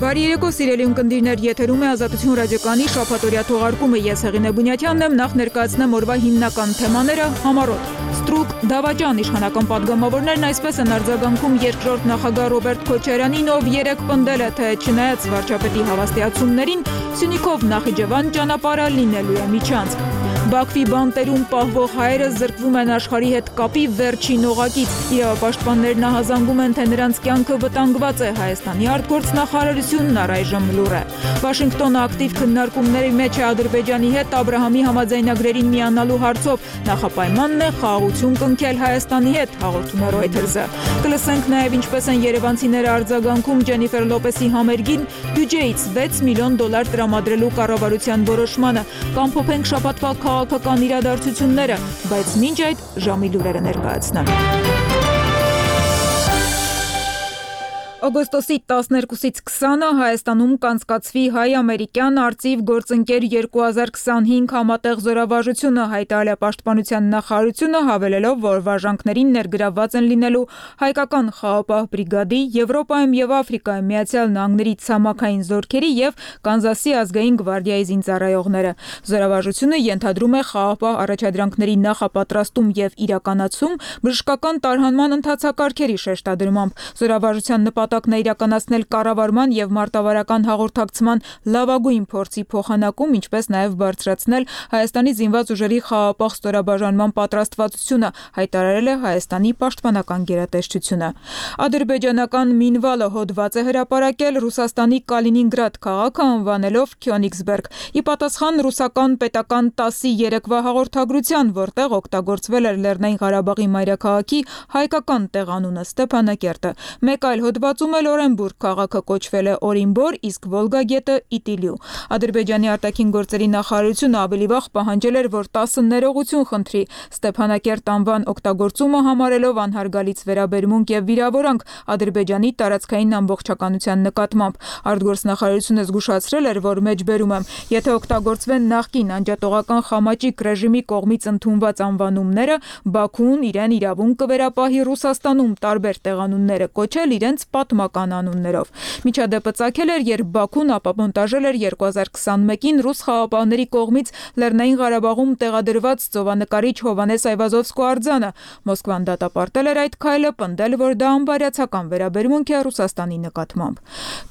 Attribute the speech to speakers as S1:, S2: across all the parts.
S1: Բարի երեկո, սիրելի ունկնդիրներ, եթերում է Ազատություն ռադիոկայանի շաբաթօրյա թողարկումը։ Ես Հեղինե Բունյաթյանն եմ, նախ ներկայացնեմ օրվա հիմնական թեմաները՝ համառոտ, ստրուկ, դավաճան իշխանական падգամավորներն այսպես են արձագանքում երկրորդ նախագահ Ռոբերտ Քոչարյանին, ով երեկ պնդել է, թե չնայած վարչապետի հավաստիացումներին, Սյունիքով Նախիջևան ճանապարհը լինելու է միջանցք։ Բաքվի բանտերում պահվող հայերը զրկվում են աշխարհի հետ կապի վերջին օղակից։ Իրավապաշտպաններն ահազանգում են, թե նրանց կյանքը վտանգված է։ Հայաստանի արտգործնախարարությունն առայժմ լուռ է։ Վաշինգտոնը ակտիվ քննարկումների մեջ է Ադրբեջանի հետ Աբրահամի համաձայնագրերին միանալու հարցով։ Նախապայմանն է խաղաղություն կնքել Հայաստանի հետ, հաղորդում է Reuters-ը։ Կլսենք նաև ինչպես են երևանցիները արձագանքում Ջենիֆեր Լոպեսի համերգին բյուջեից $6 միլիոն տրամադրելու կառավարության որոշմանը։ Կամփոփենք շաբաթվա քաղաքական իրադարձությունները, բայց մինչ այդ ժամի լուրերը ներկայացնեմ։ Օգոստոսի 12-ից 20-ը Հայաստանում կանցկացվի հայ-ամերիկյան արծիվ գործընկեր 2025 համատեղ զորավարժությունը, հայտարարել է Պաշտպանության նախարարությունը, հավելելով, որ վարժանքներին ներգրավված են լինելու հայկական խաղապահ բրիգադի, Եվրոպայում եւ Աֆրիկայում Միացյալ Նահանգների ցամաքային զորքերի եւ Կանզասի ազգային գվարդիայի զինծառայողները։ Զորավարժությունը ենթադրում է խաղապահ առաջադրանքների նախապատրաստում եւ իրականացում, բժշկական տարհանման ընթացակարգերի շեշտադրմամբ։ Զորավարժության նպատակն է իրականացնել կառավարման եւ մարտավարական հաղորդակցման լավագույն փորձի փոխանակում, ինչպես նաեւ բարձրացնել Հայաստանի զինված ուժերի խաղապահ ստորաբաժանման պատրաստվածությունը, հայտարարել է Հայաստանի պաշտպանական գերատեսչությունը։ Ադրբեջանական Մինվալը հոդված է հրապարակել Ռուսաստանի Կալինինգրադ քաղաքը անվանելով Քյոնիգսբերգ։ Ի պատասխան ռուսական պետական ՏԱՍ-ի երեկվա հաղորդագրության, որտեղ օգտագործվել էր Լեռնային Ղարաբաղի մայրաքաղաքի հայկական տեղանունը Ստեփանակերտը։ Մեկ այլ հոդվածում էլ Օրենբուրգ քաղաքը կոչվել է Օրինբոր, իսկ Վոլգա գետը Իտիլիու։ Ադրբեջանի արտաքին գործերի նախարարությունը ավելի վաղ պահանջել էր, որ ՏԱՍ-ը ներողություն խնդրի Ստեփանակերտ անվան օգտագործումը համարելով անհարգալից վերաբերմունք եւ վիրավորանք Ադրբեջանի տարածքային ամբողջականության նկատմամբ։ Արտգործնախարարությունը զգուշացրել էր, որ մեջբերում եմ, եթե օգտագործվեն նախկին անջատողական խամաճիկ ռեժիմի կողմից ընդունված անվանումները, Բաքուն իրեն իրավունք կվերապահի Ռուսաստանում տարբեր տեղանունները կոչել իրենց պատմական անուններով։ Միջադեպը ծագել էր, երբ Բաքուն ապամոնտաժել էր 2021-ին ռուս խաղապահների կողմից Լեռնային Ղարաբաղում տեղադրված ծովանկարիչ Հովանես Այվազովսկու արձանը։ Մոսկվան դատապարտել էր այդ քայլը, պնդել, որ դա անբարյացակամ վերաբերմունք է Ռուսաստանի նկատմամբ։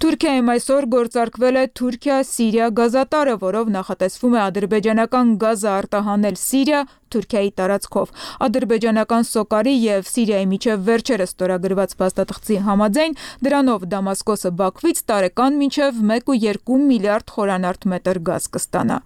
S1: Թուրքիայում այսօր գործարկվել է Թուրքիա-Սիրիա գազատարը, որով նախատեսվում է ադրբեջանական գազը արտահանել Սիրիա, Թուրքիայի տարածքով։ Ադրբեջանական Սոկարի եւ Սիրիայի միջև վերջերս ստորագրված փաստաթղթի համաձայն դրանով Դամասկոսը Բաքվից տարեկան մինչև 1.2 միլիարդ խորանարդ մետր գազ կստանա։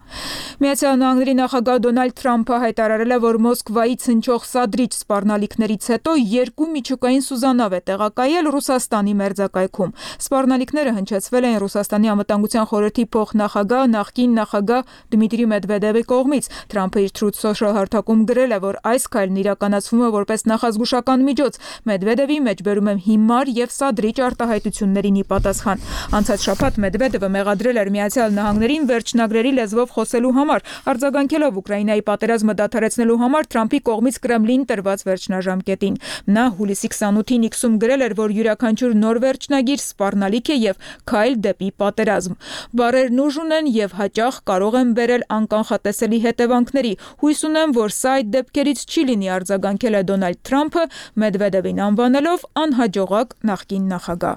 S1: Միացյալ Նահանգների նախագահ Դոնալդ Թրամփը հայտարարել է, որ Մոսկվայից հնչող սադրիչ սպառնալիքներից հետո 2 միջուկային սուզանավ է տեղակայել Ռուսաստանի մերձակայքում։ Սպառնալիքները հնչեցվել են Ռուսաստանի անվտանգության խորհրդի փոխնախագահ նախկին նախագահ Դմիտրի Մեդվեդևի կողմից։ Թրամփը իր Truth Social հաղորդակցում գրել է, որ այս քայլն իրականացվում է որպես նախազգուշական միջոց։ Մեդվեդևի մեջբերում է հիմար եւ սադրիչ արտահայտություններին ի պատասխան։ Անցած շաբաթ Մեդվեդևը մեղադրել էր Միացյալ Նահանգներին վերջնագրերի լեզվով խոսելու համար, արձագանքելով Ուկրաինայի պատերազմը դադարեցնելու համար Թրամփի կողմից Կրեմլին տրված վերջնաժամկետին։ Նա հուլիսի 28-ին X-ում գրել էր, որ յուրաքանչյուր նոր վերջնագիր սպառնալիք է եւ քայլ դեպի պատերազմ։ Բառերն ուժ ունեն եւ հաճախ կարող են բերել անկանխատեսելի հետևանքների։ Հույս ունեմ, որ սա այդ դեպքերից չի լինի, արձագանքել է Դոնալդ Թրամփը, Մեդվեդևին անվանելով անհաջողակ նախկին նախագահ։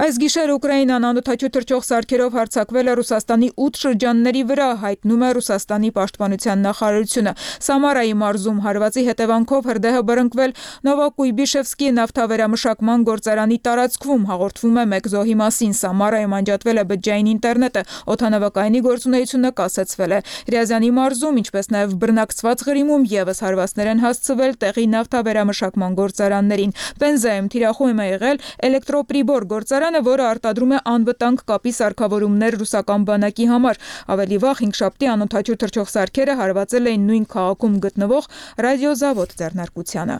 S1: Այս գիշեր Ուկրաինան անօդաչու թռչող սարքերով հարձակվել է Ռուսաստանի 8 շրջանների վրա, հայտնում է Ռուսաստանի պաշտպանության նախարարությունը։ Սամարայի մարզում հարվածի հետևանքով հրդեհը բռնկվել Նովոկույբիշևսկի նավթավերամշակման գործարանի տարածքում, հաղորդվում է մեկ զոհի մասին։ Սամարայում անջատվել է բջջային ինտերնետը, օդանավակայանի գործունեությունը կասեցվել է։ Ռիազանի մարզում, ինչպես նաև բռնակցված Ղրիմում եւս հարվածներ են հասցվել տեղի նավթավերամշակման գործարաններին։ Պենզայում թիրախում է եղել Էլեկտրոպրիբոր գործարանը, որը արտադրում է անվտանգ կապի սարքավորումներ ռուսական բանակի համար։ Ավելի վաղ հինգշաբթի անօդաչու թռչող սարքերը հարվածել էին նույն քաղաքում գտնվող ռադիոզավոդ ձեռնարկությանը։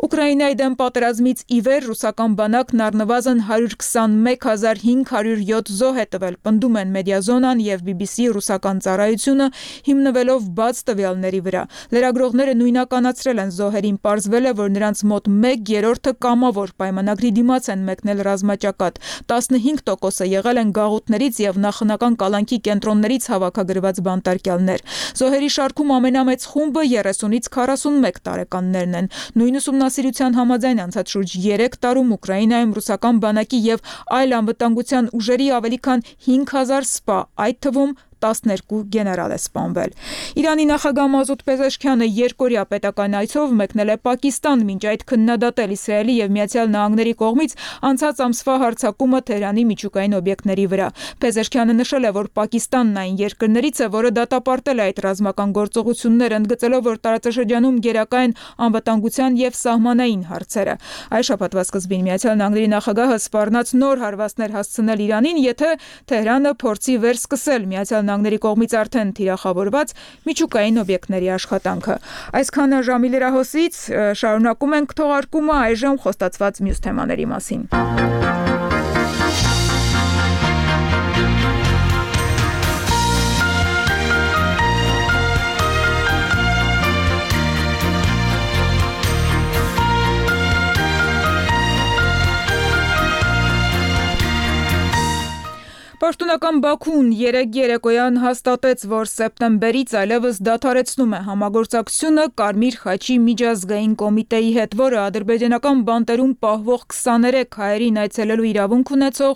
S1: Ուկրաինայի դեմ պատերազմից ի վեր ռուսական բանակն առնվազն 121,507 զոհ է տվել, պնդում են Մեդիազոնան եւ BBC ռուսական ծառայությունը, հիմնվելով բաց տվյալների վրա։ Լրագրողները նույնականացրել են զոհերին, պարզվել է, որ նրանց մոտ 1/3-ը կամավոր պայմանագրի դիմաց են մեկնել ռազմաճակատ, 15% եղել են գաղութներից և նախնական կալանքի կենտրոններից հավաքագրված բանտարկյալներ։ Զոհերի շարքում ամենամեծ խումբը 30-ից 41 տարեկաններն են։ Նույն ուսումնասիրության համաձայն անցած շուրջ 3 տարում Ուկրաինայում ռուսական բանակի և այլ անվտանգության ուժերի ավելի քան 5000 սպա, այդ թվում 12 գեներալ է սպանվել։ Իրանի նախագահ Մազուդ Փեզեշքյանը երկօրյա պետական այցով մեկնել է Պակիստան, մինչ այդ քննադատել Իսրայելի և Միացյալ Նահանգների կողմից անցած ամսվա հարձակումը Թեհրանի միջուկային օբյեկտների վրա։ Փեզեշքյանը նշել է, որ Պակիստանն այն երկրներից է, որը դատապարտել է այդ ռազմական գործողությունները, ընդգծելով, որ տարածաշրջանում գերակա են անվտանգության և սահմանային հարցերը։ Այս շաբաթվա սկզբին Միացյալ Նահանգների նախագահը սպառնաց նոր հարվածներ հասցնել Իրանին, եթե Թեհրանը փորձի վերսկսել Միացյալ Նահանգների կողմից արդեն թիրախավորված միջուկային օբյեկտների աշխատանքը։ Այսքանը ժամի լրահոսից, շարունակում ենք թողարկումը, այժմ խոստացված մյուս թեմաների մասին։ Պաշտոնական Բաքուն երեկ երեկոյան հաստատեց, որ սեպտեմբերից այլևս դադարեցնում է համագործակցությունը Կարմիր խաչի միջազգային կոմիտեի հետ, որը ադրբեջանական բանտերում պահվող 23 հայերին այցելելու իրավունք ունեցող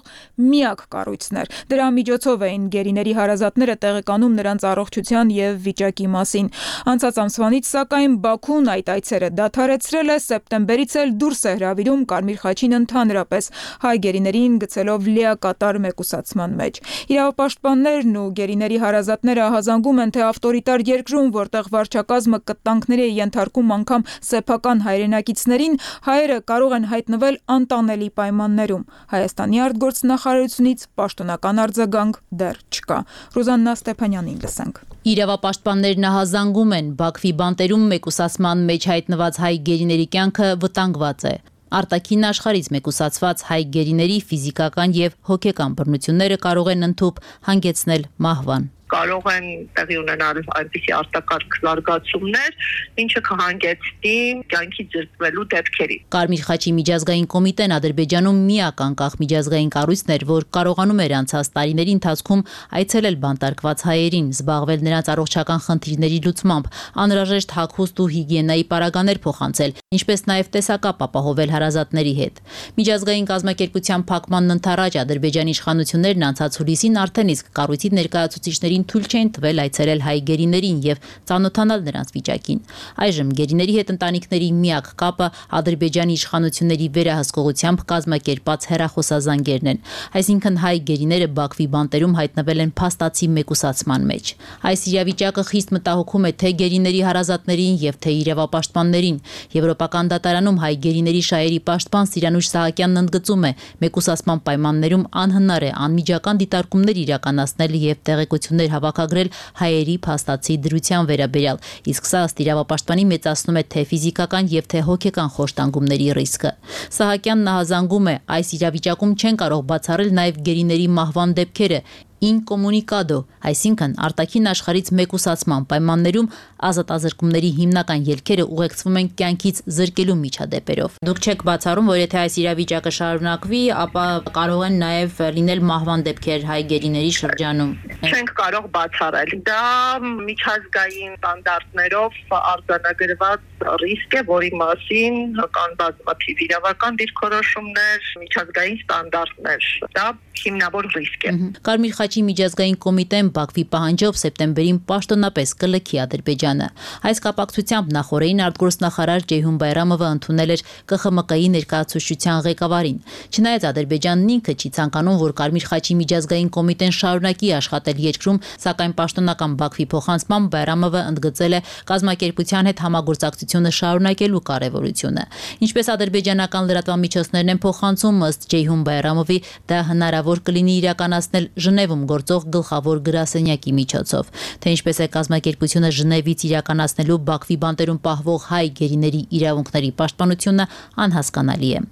S1: միակ կառույցն էր։ Դրա միջոցով էին գերիների հարազատները տեղեկանում նրանց առողջության և վիճակի մասին։ Անցած ամսվանից, սակայն, Բաքուն այդ այցերը դադարեցրել է, սեպտեմբերից էլ դուրս է հրավիրում Կարմիր խաչին ընդհանրապես, հայ գերիներին գցելով լիակատար մեկուսացման մեջ։ Իրավապաշտպաններն ու գերիների հարազատները ահազանգում են, թե ավտորիտար երկրում, որտեղ վարչակազմը կտանքների է ենթարկում անգամ սեփական հայրենակիցներին, հայերը կարող են հայտնվել անտանելի պայմաններում։ Հայաստանի արտգործնախարարությունից պաշտոնական արձագանք դեռ չկա։ Ռուզաննա Ստեփանյանին լսենք։
S2: Իրավապաշտպաններն ահազանգում են, Բաքվի բանտերում մեկուսացման մեջ հայտնված հայ գերիների կյանքը վտանգված է։ Արտաքին աշխարհից մեկուսացված հայ գերիների ֆիզիկական և հոգեկան բռնությունները կարող են ընդհուպ հանգեցնել մահվան։
S3: Կարող են տեղի ունենալ այնպիսի արտակարգ զարգացումներ, ինչը կհանգեցնի կյանքի զրկվելու դեպքերի։
S2: Կարմիր խաչի միջազգային կոմիտեն Ադրբեջանում միակ անկախ միջազգային կառույցն էր, որ կարողանում էր անցած տարիների ընթացքում այցելել բանտարկված հայերին, զբաղվել նրանց առողջական խնդիրների լուծմամբ, անհրաժեշտ հագուստ ու հիգիենայի պարագաներ փոխանցել, ինչպես նաև տեսակապ ապահովել հարազատների հետ։ Միջազգային կազմակերպության փակմանն ընդառաջ Ադրբեջանի իշխանություններն անցած հուլիսին արդեն իսկ կառույցի ներկայացուցիչներին թույլ չէին տվել այցելել հայ գերիներին և ծանոթանալ նրանց վիճակին։ Այժմ գերիների հետ ընտանիքների միակ կապը Ադրբեջանի իշխանությունների վերահսկողությամբ կազմակերպած հեռախոսազանգերն են, այսինքն հայ գերիները Բաքվի բանտերում հայտնվել են փաստացի մեկուսացման մեջ։ Այս իրավիճակը խիստ մտահոգում է թե գերիների հարազատներին և թե իրավապաշտպաններին։ Եվրոպական դատարանում հայ գերիների շահերի պաշտպան Սիրանուշ Սահակյանն ընդգծում է, մեկուսացման պայմաններում անհնար է անմիջական դիտարկումներ իրականացնել և տեղեկություններ հավաքագրել հայերի փաստացի դրության վերաբերյալ, իսկ սա ըստ իրավապաշտպանի մեծացնում է թե ֆիզիկական և թե հոգեկան խոշտանգումների ռիսկը։ Սահակյանն ահազանգում է, այս իրավիճակում չեն կարող բացառել նաև գերիների մահվան դեպքերը, ինկոմունիկադո, այսինքն արտաքին աշխարհից մեկուսացման պայմաններում ազատազրկումների հիմնական ելքերը ուղեկցվում են կյանքից զրկելու միջադեպերով։ Դուք չեք բացառում, որ եթե այս իրավիճակը շարունակվի, ապա կարող են նաև լինել մահվան դեպքեր հայ գերիների շրջանում։
S3: Չենք կարող բացառել։ Դա միջազգային ստանդարտներով արձանագրված ռիսկ է, որի մասին կան բազմաթիվ իրավական դիրքորոշումներ, միջազգային ստանդարտներ։ Դա հիմնավոր ռիսկ է։
S2: Կարմիր խաչի միջազգային կոմիտեն Բաքվի պահանջով սեպտեմբերին պաշտոնապես կլքի Ադրբեջանը։ Այս կապակցությամբ նախօրեին արտգործնախարար Ջեյհուն Բայրամովը ընդունել էր ԿԽՄԿ-ի ներկայացուցչության ղեկավարին։ Չնայած Ադրբեջանն ինքը չի ցանկանում, որ Կարմիր խաչի միջազգային կոմիտեն շարունակի աշխատել երկրում, սակայն պաշտոնական Բաքվի փոխանցմամբ Բայրամովը ընդգծել է կազմակերպության հետ համագործակցությունը շարունակելու կարևորությունը։ Ինչպես ադրբեջանական լրատվամիջոցներն են փոխանցում, ըստ Ջեյհուն Բայրամովի, դա հնարավոր կլինի իրականացնել Ժնևում գործող գլխավոր գրասենյակի միջոցով, թե ինչպես է կազմակերպությունը Ժնևից իրականացնելու Բաքվի բանտերում պահվող հայ գերիների իրավունքների պաշտպանությունը անհասկանալի է։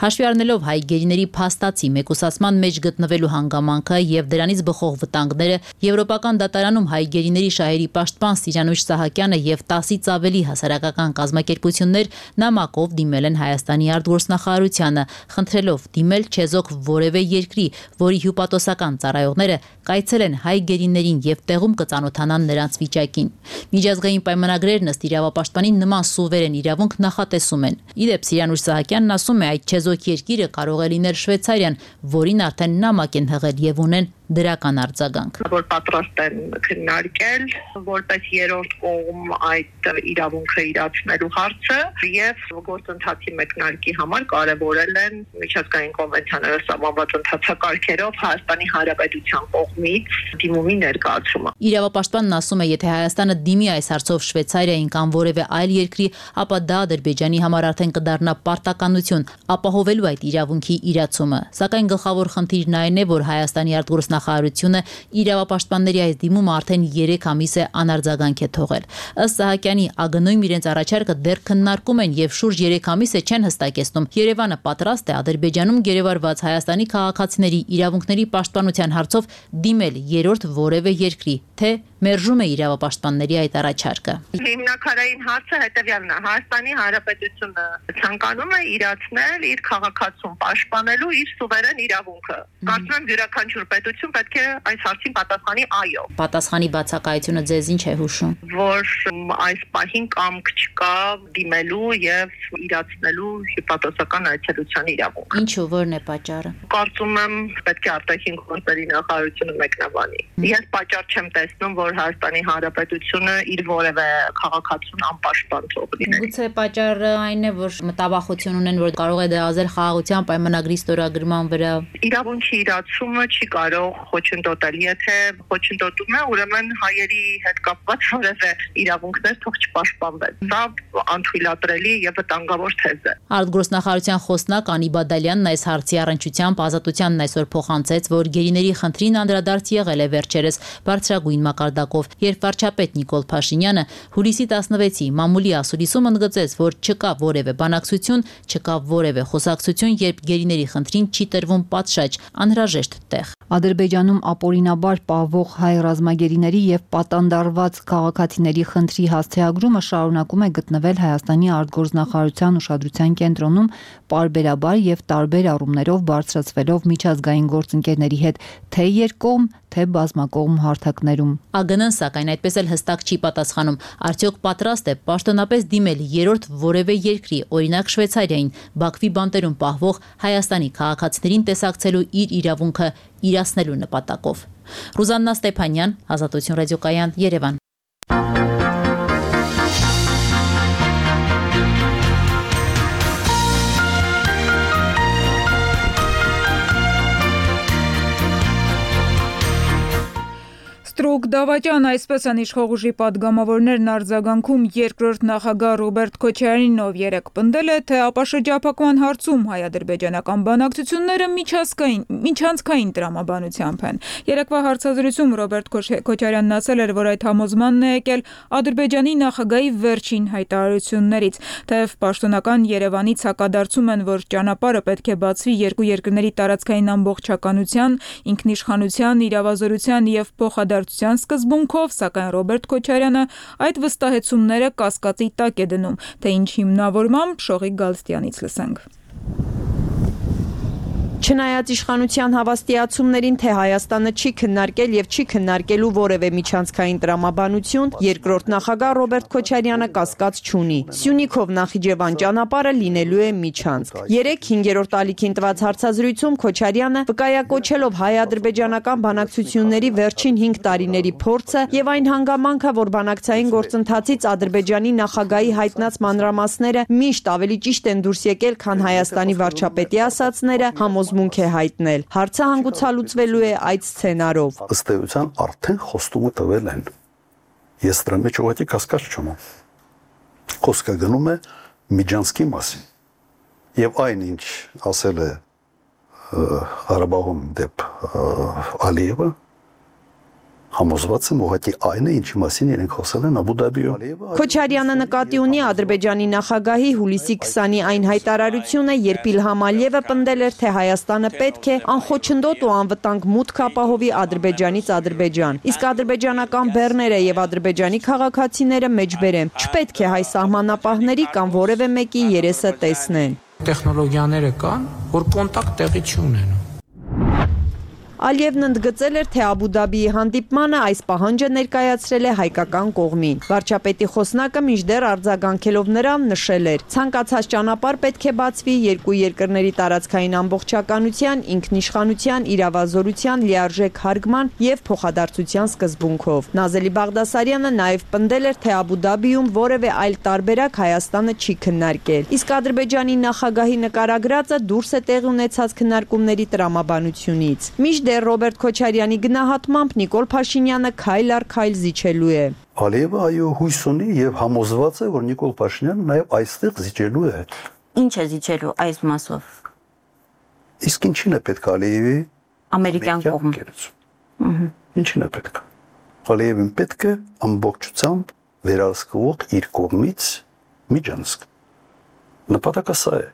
S2: Հաշվի առնելով հայ գերիների փաստացի մեկուսացման մեջ գտնվելու հանգամանքը եւ դրանից բխող վտանգները, Եվրոպական դատարանում հայ գերիների շահերի պաշտպան Սիրանույչ Սահակյանը եւ 10-ից ավելի հասարակական կազմակերպություններ նամակով դիմել են Հայաստանի արտգործնախարարությանը, խնդրելով դիմել չեզոք որևէ երկրի, որի հյուպատոսական ծառայողները կայցելեն հայ գերիներին եւ տեղում կծանոթանան նրանց վիճակին։ Միջազգային պայմանագրերն ըստ իրավապաշտպանի նման սուվերեն իրավունք նախատեսում են։ Իդեպ Սիրանույչ Սահակյանն ասում է, այդ չեզոք երկիրը կարող է լինել Շվեյցարիան, որին արդեն նամակ են հղել եւ ունեն դրական արձագանք։
S3: Որ պատրաստ են քննարկել որպես երրորդ կողմ այդ իրավունքը իրացնելու հարցը եւ գործընթացի մեկնարկի համար կարևորել են միջազգային կոնվենցիաներով սահմանված ընթացակարգերով Հայաստանի Հանրապետության կողմից դիմումի ներկայացումը։
S2: Իրավապաշտպանն ասում է, եթե Հայաստանը դիմի այս հարցով Շվեյցարիային կամ որևէ այլ երկրի, ապա դա Ադրբեջանի համար արդեն կդառնա պարտականություն ապահովելու այդ իրավունքի իրացումը։ Սակայն գլխավոր խնդիրն այն է, որ Հայաստանի արտգործնախարարությունը իրավապաշտպանների այս դիմումը արդեն 3 ամիս է անարձագանք է թողել։ Ըստ Սահակյանի, ԱԳՆ-ում իրենց առաջարկը դեռ քննարկում են եւ շուրջ 3 ամիս է չեն հստակեցնում։ Երևանը պատրաստ է Ադրբեջանում գերեվարված Հայաստանի քաղաքացիների իրավունքների պաշտպանության հարցով դիմել երրորդ որևէ երկրի, թե մերժում է իրավապաշտպանների այդ առաջարկը։
S3: Հիմնակարային հարցը հետևյալն է. Հայաստանի Հանրապետությունը ցանկանում է իրացնել իր քաղաքացուն պաշտպանելու իր սուվերեն իրավունքը։ Կարծում եմ յուրաքանչյուր պետություն պետք է այս հարցին պատասխանի այո։
S2: Պատասխանի բացակայությունը ձեզ ինչ է հուշում։
S3: Որ այս պահին կամք չկա դիմելու եւ իրացնելու հիպոթետիկական այցելության իրավունք։
S2: Ինչու, որն է պատճառը։
S3: Կարծում եմ պետք է արտաքին գործերի նախարարությունը մեկնաբանի։ Ես պատճառ չեմ տեսնում, որ Հայաստանի Հանրապետությունը իր որևէ քաղաքացուն անպաշտպան թողնի։
S2: Գուցե պատճառը այն է, որ մտավախություն ունեն, որ կարող է դրազել խաղաղության պայմանագրի ստորագրման վրա։
S3: Իրավունքի իրացումը չի կարող խոչընդոտել, եթե խոչընդոտում է, ուրեմն հայերի հետ կապված որևէ իրավունքներ թող չպաշտպանվեն։ Դա անթույլատրելի եւ վտանգավոր թեզ է։
S2: Արտգործնախարարության խոսնակ Անի Բադալյանն այս հարցի առնչությամբ Ազատությանն այսօր փոխանցեց, որ գերիների խնդրին անդրադարձ եղել է վերջերս բարձրագույն մակարդակով, երբ վարչապետ Նիկոլ Փաշինյանը հուլիսի 16-ի մամուլի ասուլիսում ընդգծեց, որ չկա որևէ բանակցություն, չկա որևէ խոսակցություն, երբ գերիների խնդրին չի տրվում պատշաճ, անհրաժեշտ տեղ։
S4: Ադրբեջանում ապօրինաբար պահվող հայ ռազմագերիների եւ պատանդարված քաղաքացիների խնդրի հասցեագրումը շարունակում է գտնվել Հայաստանի արտգործնախարարության ուշադրության կենտրոնում, պարբերաբար եւ տարբեր առումներով բարձրացվելով միջազգային գործընկերների հետ թե երկկողմ, թե բազմակողմ հարթակներում։
S2: ԱԳՆ-ն սակայն այդպես էլ հստակ չի պատասխանում, արդյոք պատրաստ է պաշտոնապես դիմել երրորդ որևէ երկրի, օրինակ Շվեյցարիային, Բաքվի բանտերում պահվող Հայաստանի քաղաքացիներին տեսակցելու իր իրավունքը իրացնելու նպատակով։ Ռուզաննա Ստեփանյան, Ազատություն ռադիոկայան, Երևան։
S1: Ստրուկ դավաճան, այսպես են իշխող ուժի падգամավորներն արձագանքում երկրորդ նախագահ Ռոբերտ Քոչարյանին, ով երեկ պնդել է, թե ապաշրջափակման հարցում հայ-ադրբեջանական բանակցությունները միջանցքային տրամաբանությամբ են։ Երեկվա հարցազրույցում Ռոբերտ Քոչարյանն ասել էր, որ այդ համոզմանն է եկել Ադրբեջանի նախագահի վերջին հայտարարություններից, թեև պաշտոնական Երևանից հակադարձում են, որ ճանապարհը պետք է բացվի երկու երկրների տարածքային ամբողջականության, ինքնիշխանության, իրավազորության եւ փոխադարձության սկզբունքով, սակայն Ռոբերտ Քոչարյանը այդ վստահեցումները կասկածի տակ է դնում, թե ինչ հիմնավորմամբ Շողիկ Գալստյանից լսենք։
S5: Չնայած իշխանության հավաստիացումներին, թե Հայաստանը չի քննարկել եւ չի քննարկելու որևէ միջանցքային տրամաբանություն, երկրորդ նախագահ Ռոբերտ Քոչարյանը կասկած չունի։ Սյունիքով Նախիջևան ճանապարհը լինելու է միջանցք։ 3-5-րդ ալիքին տված հարցազրույցում Քոչարյանը վկայակոչելով հայ-ադրբեջանական բանակցությունների վերջին 5 տարիների փորձը եւ այն հանգամանքը, որ բանակցային գործընթացից Ադրբեջանի նախագահի հայտնած մանրամասները միշտ ավելի ճիշտ են դուրս եկել, քան Հայաստանի վարչապետի ասածները, մունք է հայտնել։ Հարցը հանգուցալուծվելու է այդ սցենարով։
S6: Ըստ էության արդեն խոստումը տվել են։ Ես դրա մեջ ուղղակի կասկած չունեմ։ Խոսքը գնում է միջանցքի մասին։ Եվ այն ինչ ասել է Ղարաբաղում դեպ Ալիևը, Համոզված եմ ուղղակի այն է, ինչի մասին իրենք խոսել են Աբու Դաբիում։
S5: Քոչարյանը նկատի ունի Ադրբեջանի նախագահի հուլիսի 20-ի այն հայտարարությունը, երբ Իլհամ Ալիևը պնդել էր, թե Հայաստանը պետք է անխոչնդոտ ու անվտանգ մուտք ապահովի Ադրբեջանից Ադրբեջան։ Իսկ ադրբեջանական բեռները եւ Ադրբեջանի քաղաքացիները մեջբերեն։ Չպետք է հայ սահմանապահների կամ որևէ մեկի երեսը տեսնեն։
S7: Տեխնոլոգիաները կան, որ կոնտակտ տեղի չունեն։
S5: Ալիևն ընդգծել էր, թե Աբու Դաբիի հանդիպմանը այս պահանջը ներկայացրել է հայկական կողմին։ Վարչապետի խոսնակը մինչդեռ արձագանքելով նրան նշել էր. ցանկացած ճանապարհ պետք է բացվի երկու երկրների տարածքային ամբողջականության, ինքնիշխանության, իրավազորության, լիարժեք հարգման եւ փոխադարձության սկզբունքով։ Նազելի Բաղդասարյանը նաեւ պնդել էր, թե Աբու Դաբիում որևէ այլ տարբերակ Հայաստանը չի քննարկել։ Իսկ Ադրբեջանի նախագահի նկարագրածը դուրս է տեղի ունեցած քննարկումների տրամաբանությունից։ Դեռ Ռոբերտ Քոչարյանի գնահատմամբ Նիկոլ Փաշինյանը քայլ առ քայլ զիջելու է։
S6: Ալիևը այո հույս ունի եւ համոզված է, որ Նիկոլ Փաշինյանը նաեւ այստեղ զիջելու է։
S8: Ինչ է զիջելու այս մասով։
S6: Իսկ ինչին է պետք Ալիևի
S8: ամերիկյան կողմ։
S6: Ինչին է պետք։ Ալիևին պետք է ամբողջությամբ վերահսկվող իր կողմից միջանցք։ Նպատակը սա է։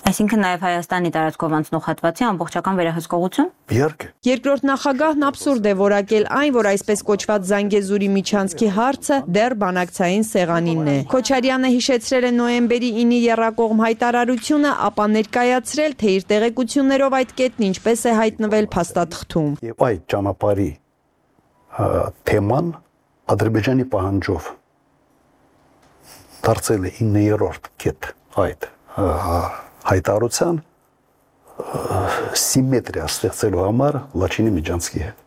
S8: Այսինքն նաև Հայաստանի տարածքով անցնող հատվածի ամբողջական վերահսկողություն։
S6: Իհարկե։
S5: Երկրորդ նախագահն абսուրդ է որակել այն, որ այսպես կոչված Զանգեզուրի միջանցքի հարցը դեռ բանակցային սեղանինն է։ Քոչարյանը հիշեցրել է նոյեմբերի 9-ի եռակողմ հայտարարությունը, ապա ներկայացրել, թե իր տեղեկություններով այդ կետն ինչպես է հայտնվել փաստաթղթում։
S6: Եվ այդ ճանապարհի թեման Ադրբեջանի պահանջով դարձել է 9-րդ կետ այդ հայտարարության սիմետրիա ստեղծելու համար Լաչինի միջանցքի հետ։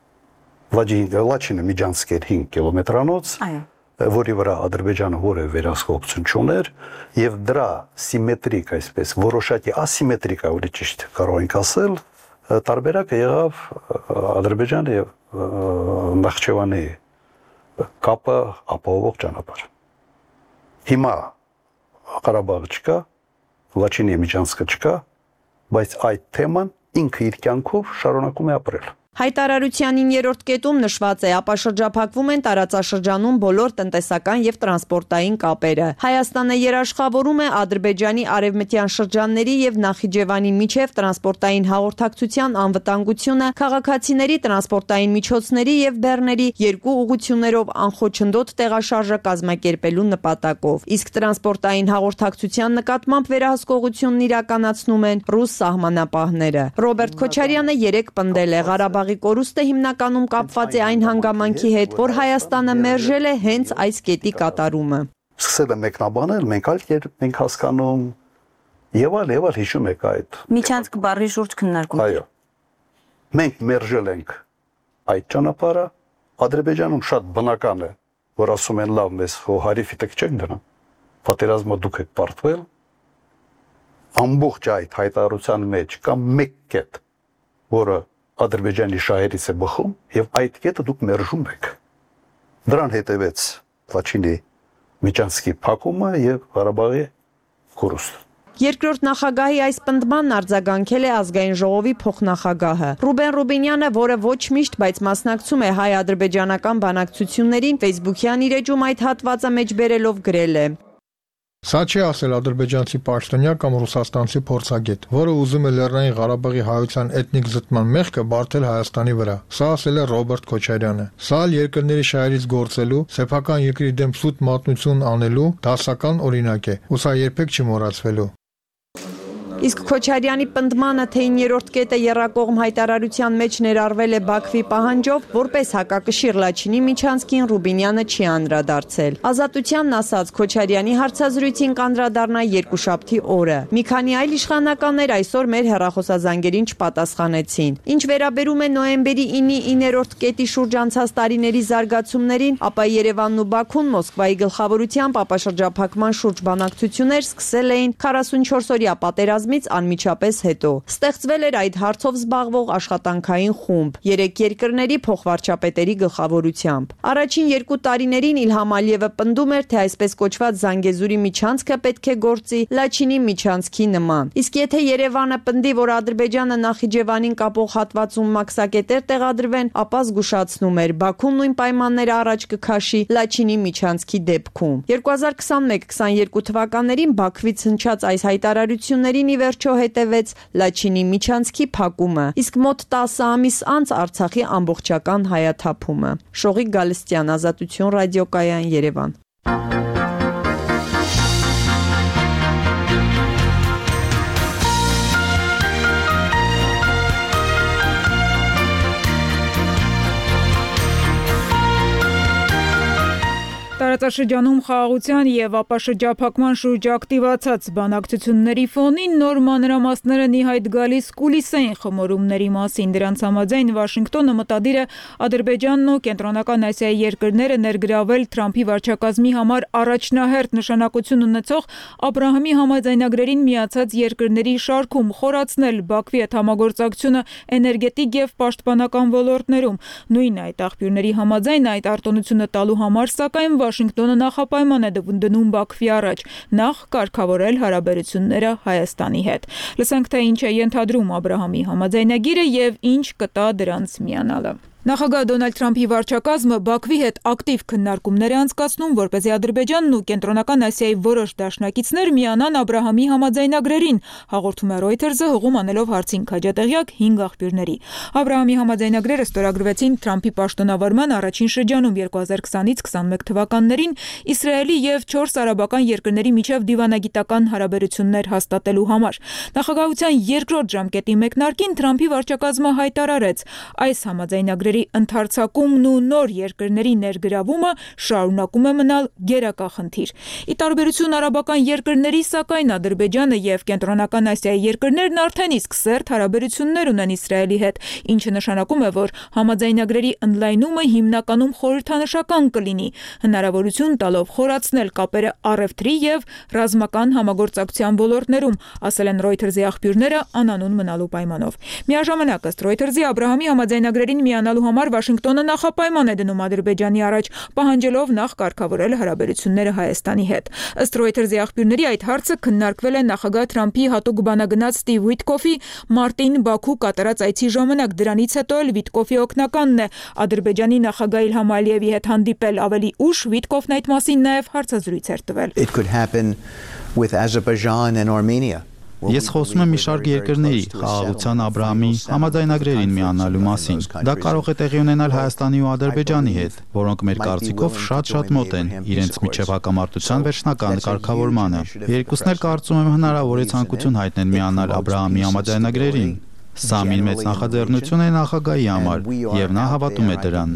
S6: Լաչինը միջանցք էր 5 կիլոմետրանոց, որի վրա Ադրբեջանը որևէ վերահսկողություն չուներ, եւ դրա սիմետրիկ, այսպես որոշակի ասիմետրիկ, ավելի ճիշտ կարող ենք ասել, տարբերակը եղավ Ադրբեջանի եւ Նախճեվանի կապը ապահովող ճանապարհ։ Հիմա Ղարաբաղը չկա, Լաչինի միջանցքը չկա, բայց այդ թեման ինքը իր կյանքով շարունակում է ապրել։
S5: Հայտարարության 9-րդ կետում նշված է, ապա շրջափակվում են տարածաշրջանում բոլոր տնտեսական եւ տրանսպորտային կապերը։ Հայաստանը երաշխավորում է Ադրբեջանի արևմտյան շրջանների եւ Նախիջևանի միջև տրանսպորտային հաղորդակցության անվտանգությունը, քաղաքացիների տրանսպորտային միջոցների եւ բեռների երկու ուղղություններով անխոչնդոտ տեղաշարժը կազմակերպելու նպատակով։ Իսկ տրանսպորտային հաղորդակցության նկատմամբ վերահսկողությունն իրականացնում են ռուս սահմանապահները։ Ռոբերտ Քոչարյանը երեկ պնդել է Ղարաբաղի կորուստը հիմնականում կապված է այն հանգամանքի հետ, որ Հայաստանը մերժել է հենց այս կետի կատարումը։
S6: Սկսել է մեկնաբանել, մենք այլ կերպ ենք հասկանում եւ այլ հիշում եք այդ։
S8: Միջանցք բառի շուրջ քննարկում։
S6: Այո։ Մենք մերժել ենք այդ ճանապարհը, Ադրբեջանում շատ բնական է, որ ասում են լավ, մեզ հարիվի տակ չենք դրան։ Պատերազմը դուք եք պարտվել։ Ամբողջ այդ հայտարարության մեջ կա մեկ կետ, որը Ադրբեջանի շահերից է բխում եւ այդ կետը դուք մերժում եք։ Դրան հետևեց Լաչինի միջանցքի փակումը եւ Ղարաբաղի կորուստը։
S5: Երկրորդ նախագահի այս պնդմանն արձագանքել է ազգային ժողովի փոխնախագահը։ Ռուբեն Ռուբինյանը, որը ոչ միշտ, բայց մասնակցում է հայ-ադրբեջանական բանակցություններին, Facebook-յան իր էջում այդ հատվածը մեջբերելով գրել է.
S9: Սա չի ասել ադրբեջանցի պաշտոնյա կամ ռուսաստանցի փորձագետ, որը ուզում է Լեռնային Ղարաբաղի հայության էթնիկ զտման մեղքը բարթել Հայաստանի վրա։ Սա ասել է Ռոբերտ Քոչարյանը։ Սա երկրների շահերից գործելու, սեփական երկրի դեմ սուտ մատնություն անելու դասական օրինակ է, ու սա երբեք չի մոռացվելու։
S5: Իսկ Քոչարյանի պնդմանը, թե 9-րդ կետը եռակողմ հայտարարության մեջ ներառվել է Բաքվի պահանջով, որպես հակակշիռ Լաչինի միջանցքին Ռուբինյանը չի անդրադարձել։ Ազատությանն ասած Քոչարյանի հարցազրույցին կանդրադառնա երկուշաբթի օրը։ Մի քանի այլ իշխանականներ այսօր մեր հեռախոսազանգերին չպատասխանեցին։ Ինչ վերաբերում է նոյեմբերի 9-ի 9-րդ կետի շուրջ անցած տարիների զարգացումներին, ապա Երևանն ու Բաքուն Մոսկվայի գլխավորությամբ ապաշրջափակման շուրջ բանակցություններ սկսել էին 44-օրյա պատերազմի պատերազմից անմիջապես հետո։ Ստեղծվել էր այդ հարցով զբաղվող աշխատանքային խումբ 3 երկրների փոխվարչապետերի գլխավորությամբ։ Առաջին 2 տարիներին Իլհամ Ալիևը պնդում էր, թե այսպես կոչված Զանգեզուրի միջանցքը պետք է գործի Լաչինի միջանցքի նման։ Իսկ եթե Երևանը պնդի, որ Ադրբեջանը Նախիջևանին կապող հատվածում մաքսակետեր տեղադրվեն, ապա զգուշացնում էր, Բաքուն նույն պայմանները առաջ կքաշի Լաչինի միջանցքի դեպքում։ 2021-22 թվականներին Բաքվից հնչած այս հայտարարություններին ի վերջո հետևեց Լաչինի միջանցքի փակումը, իսկ մոտ 10 ամիս անց Արցախի ամբողջական հայաթափումը։ Շողիկ Գալստյան, Ազատություն ռադիոկայան, Երևան։
S1: Տարածաշրջանում խաղաղության եւ ապաշրջափակման շուրջ ակտիվացած բանակցությունների ֆոնին նոր մանրամասները նիհայտ գալիս կուլիսային խմորումների մասին։ Դրանց համաձայն Վաշինգտոնը մտադիր է Ադրբեջանն ու Կենտրոնական Ասիայի երկրները ներգրավել Թրամփի վարչակազմի համար առաջնահերթ նշանակություն ունեցող Աբրահամի համաձայնագրերին միացած երկրների շարքում, խորացնել Բաքվի հետ համագործակցությունը էներգետիկ եւ պաշտպանական ոլորտներում։ Նույն այդ աղբյուրների համաձայն այդ արտոնությունը տալու համար, սակայն Վաշինգտոնը նախապայման է դնում Բաքվի առաջ, նախ կարգավորել հարաբերությունները Հայաստանի հետ։ Լսենք, թե ինչ է ենթադրում Աբրահամի համաձայնագիրը եւ ինչ կտա դրանց միանալը։ Նախագահ Դոնալդ Թրամփի վարչակազմը Բաքվի հետ ակտիվ քննարկումներ է անցկացնում, որպեսզի Ադրբեջանն ու Կենտրոնական Ասիայի որոշ դաշնակիցներ միանան Աբրահամի համաձայնագրերին, հաղորդում է Reuters-ը հողում անելով հարցին քաջատեղյակ 5 աղբյուրների։ Աբրահամի համաձայնագրերը ստորագրվեցին Թրամփի պաշտոնավարման առաջին շրջանում 2020-ից 21 թվականներին Իսրայելի եւ 4 արաբական երկրների միջև դիվանագիտական հարաբերություններ հաստատելու համար։ Նախագահության երկրորդ ժամկետի մեկնարկին Թրամփի վարչակազմը հայտարարեց, այս համաձայնագրերը ընդարձակումն ու նոր երկրների ներգրավումը շարունակում է մնալ գերակա խնդիր։ Ի տարբերություն արաբական երկրների, սակայն Ադրբեջանը եւ Կենտրոնական Ասիայի երկրներն արդեն իսկ սերտ հարաբերություններ ունեն Իսրայելի հետ, ինչը նշանակում է, որ համաձայնագրերի ընդլայնումը հիմնականում խորհրդանշական կլինի, հնարավորություն տալով խորացնել կապերը առևտրի եւ ռազմական համագործակցության ոլորտներում, ասել են Reuters-ի աղբյուրները անանուն մնալու պայմանով։ Միաժամանակ ըստ Reuters-ի Աբրահամի համաձայնագրերին միանալու համար Վաշինգտոնը նախապայման է դնում Ադրբեջանի առաջ, պահանջելով նախ կարգավորել հարաբերությունները Հայաստանի հետ։ Ըստ Reuters-ի աղբյուրների այդ հարցը քննարկվել է նախագահ Թրամփի հատուկ բանագնաց Ստիվ Ուիտկոֆի մարտին Բաքու կատարած այցի ժամանակ։ Դրանից հետո էլ Ուիտկոֆի օգնականն է Ադրբեջանի նախագահ Իլհամ Ալիևի հետ հանդիպել։ Ավելի ուշ Ուիտկոֆն այդ մասին նաև հարցազրույց էր տվել։
S10: It could happen with Azerbaijan and Armenia.
S11: Ես խոսում եմ մի շարք երկրների խաղաղության Աբրահամի համաձայնագրերին միանալու մասին։ Դա կարող է տեղի ունենալ Հայաստանի ու Ադրբեջանի հետ, որոնք մեր կարծիքով շատ մոտ են իրենց միջև հակամարտության վերջնական կարգավորմանը։ Երկուսն էլ կարծում եմ հնարավոր է ցանկություն հայտնեն միանալ Աբրահամի համաձայնագրերին։ Սա մի մեծ նախաձեռնություն է նախագահի համար, եւ նա հավատում է դրան։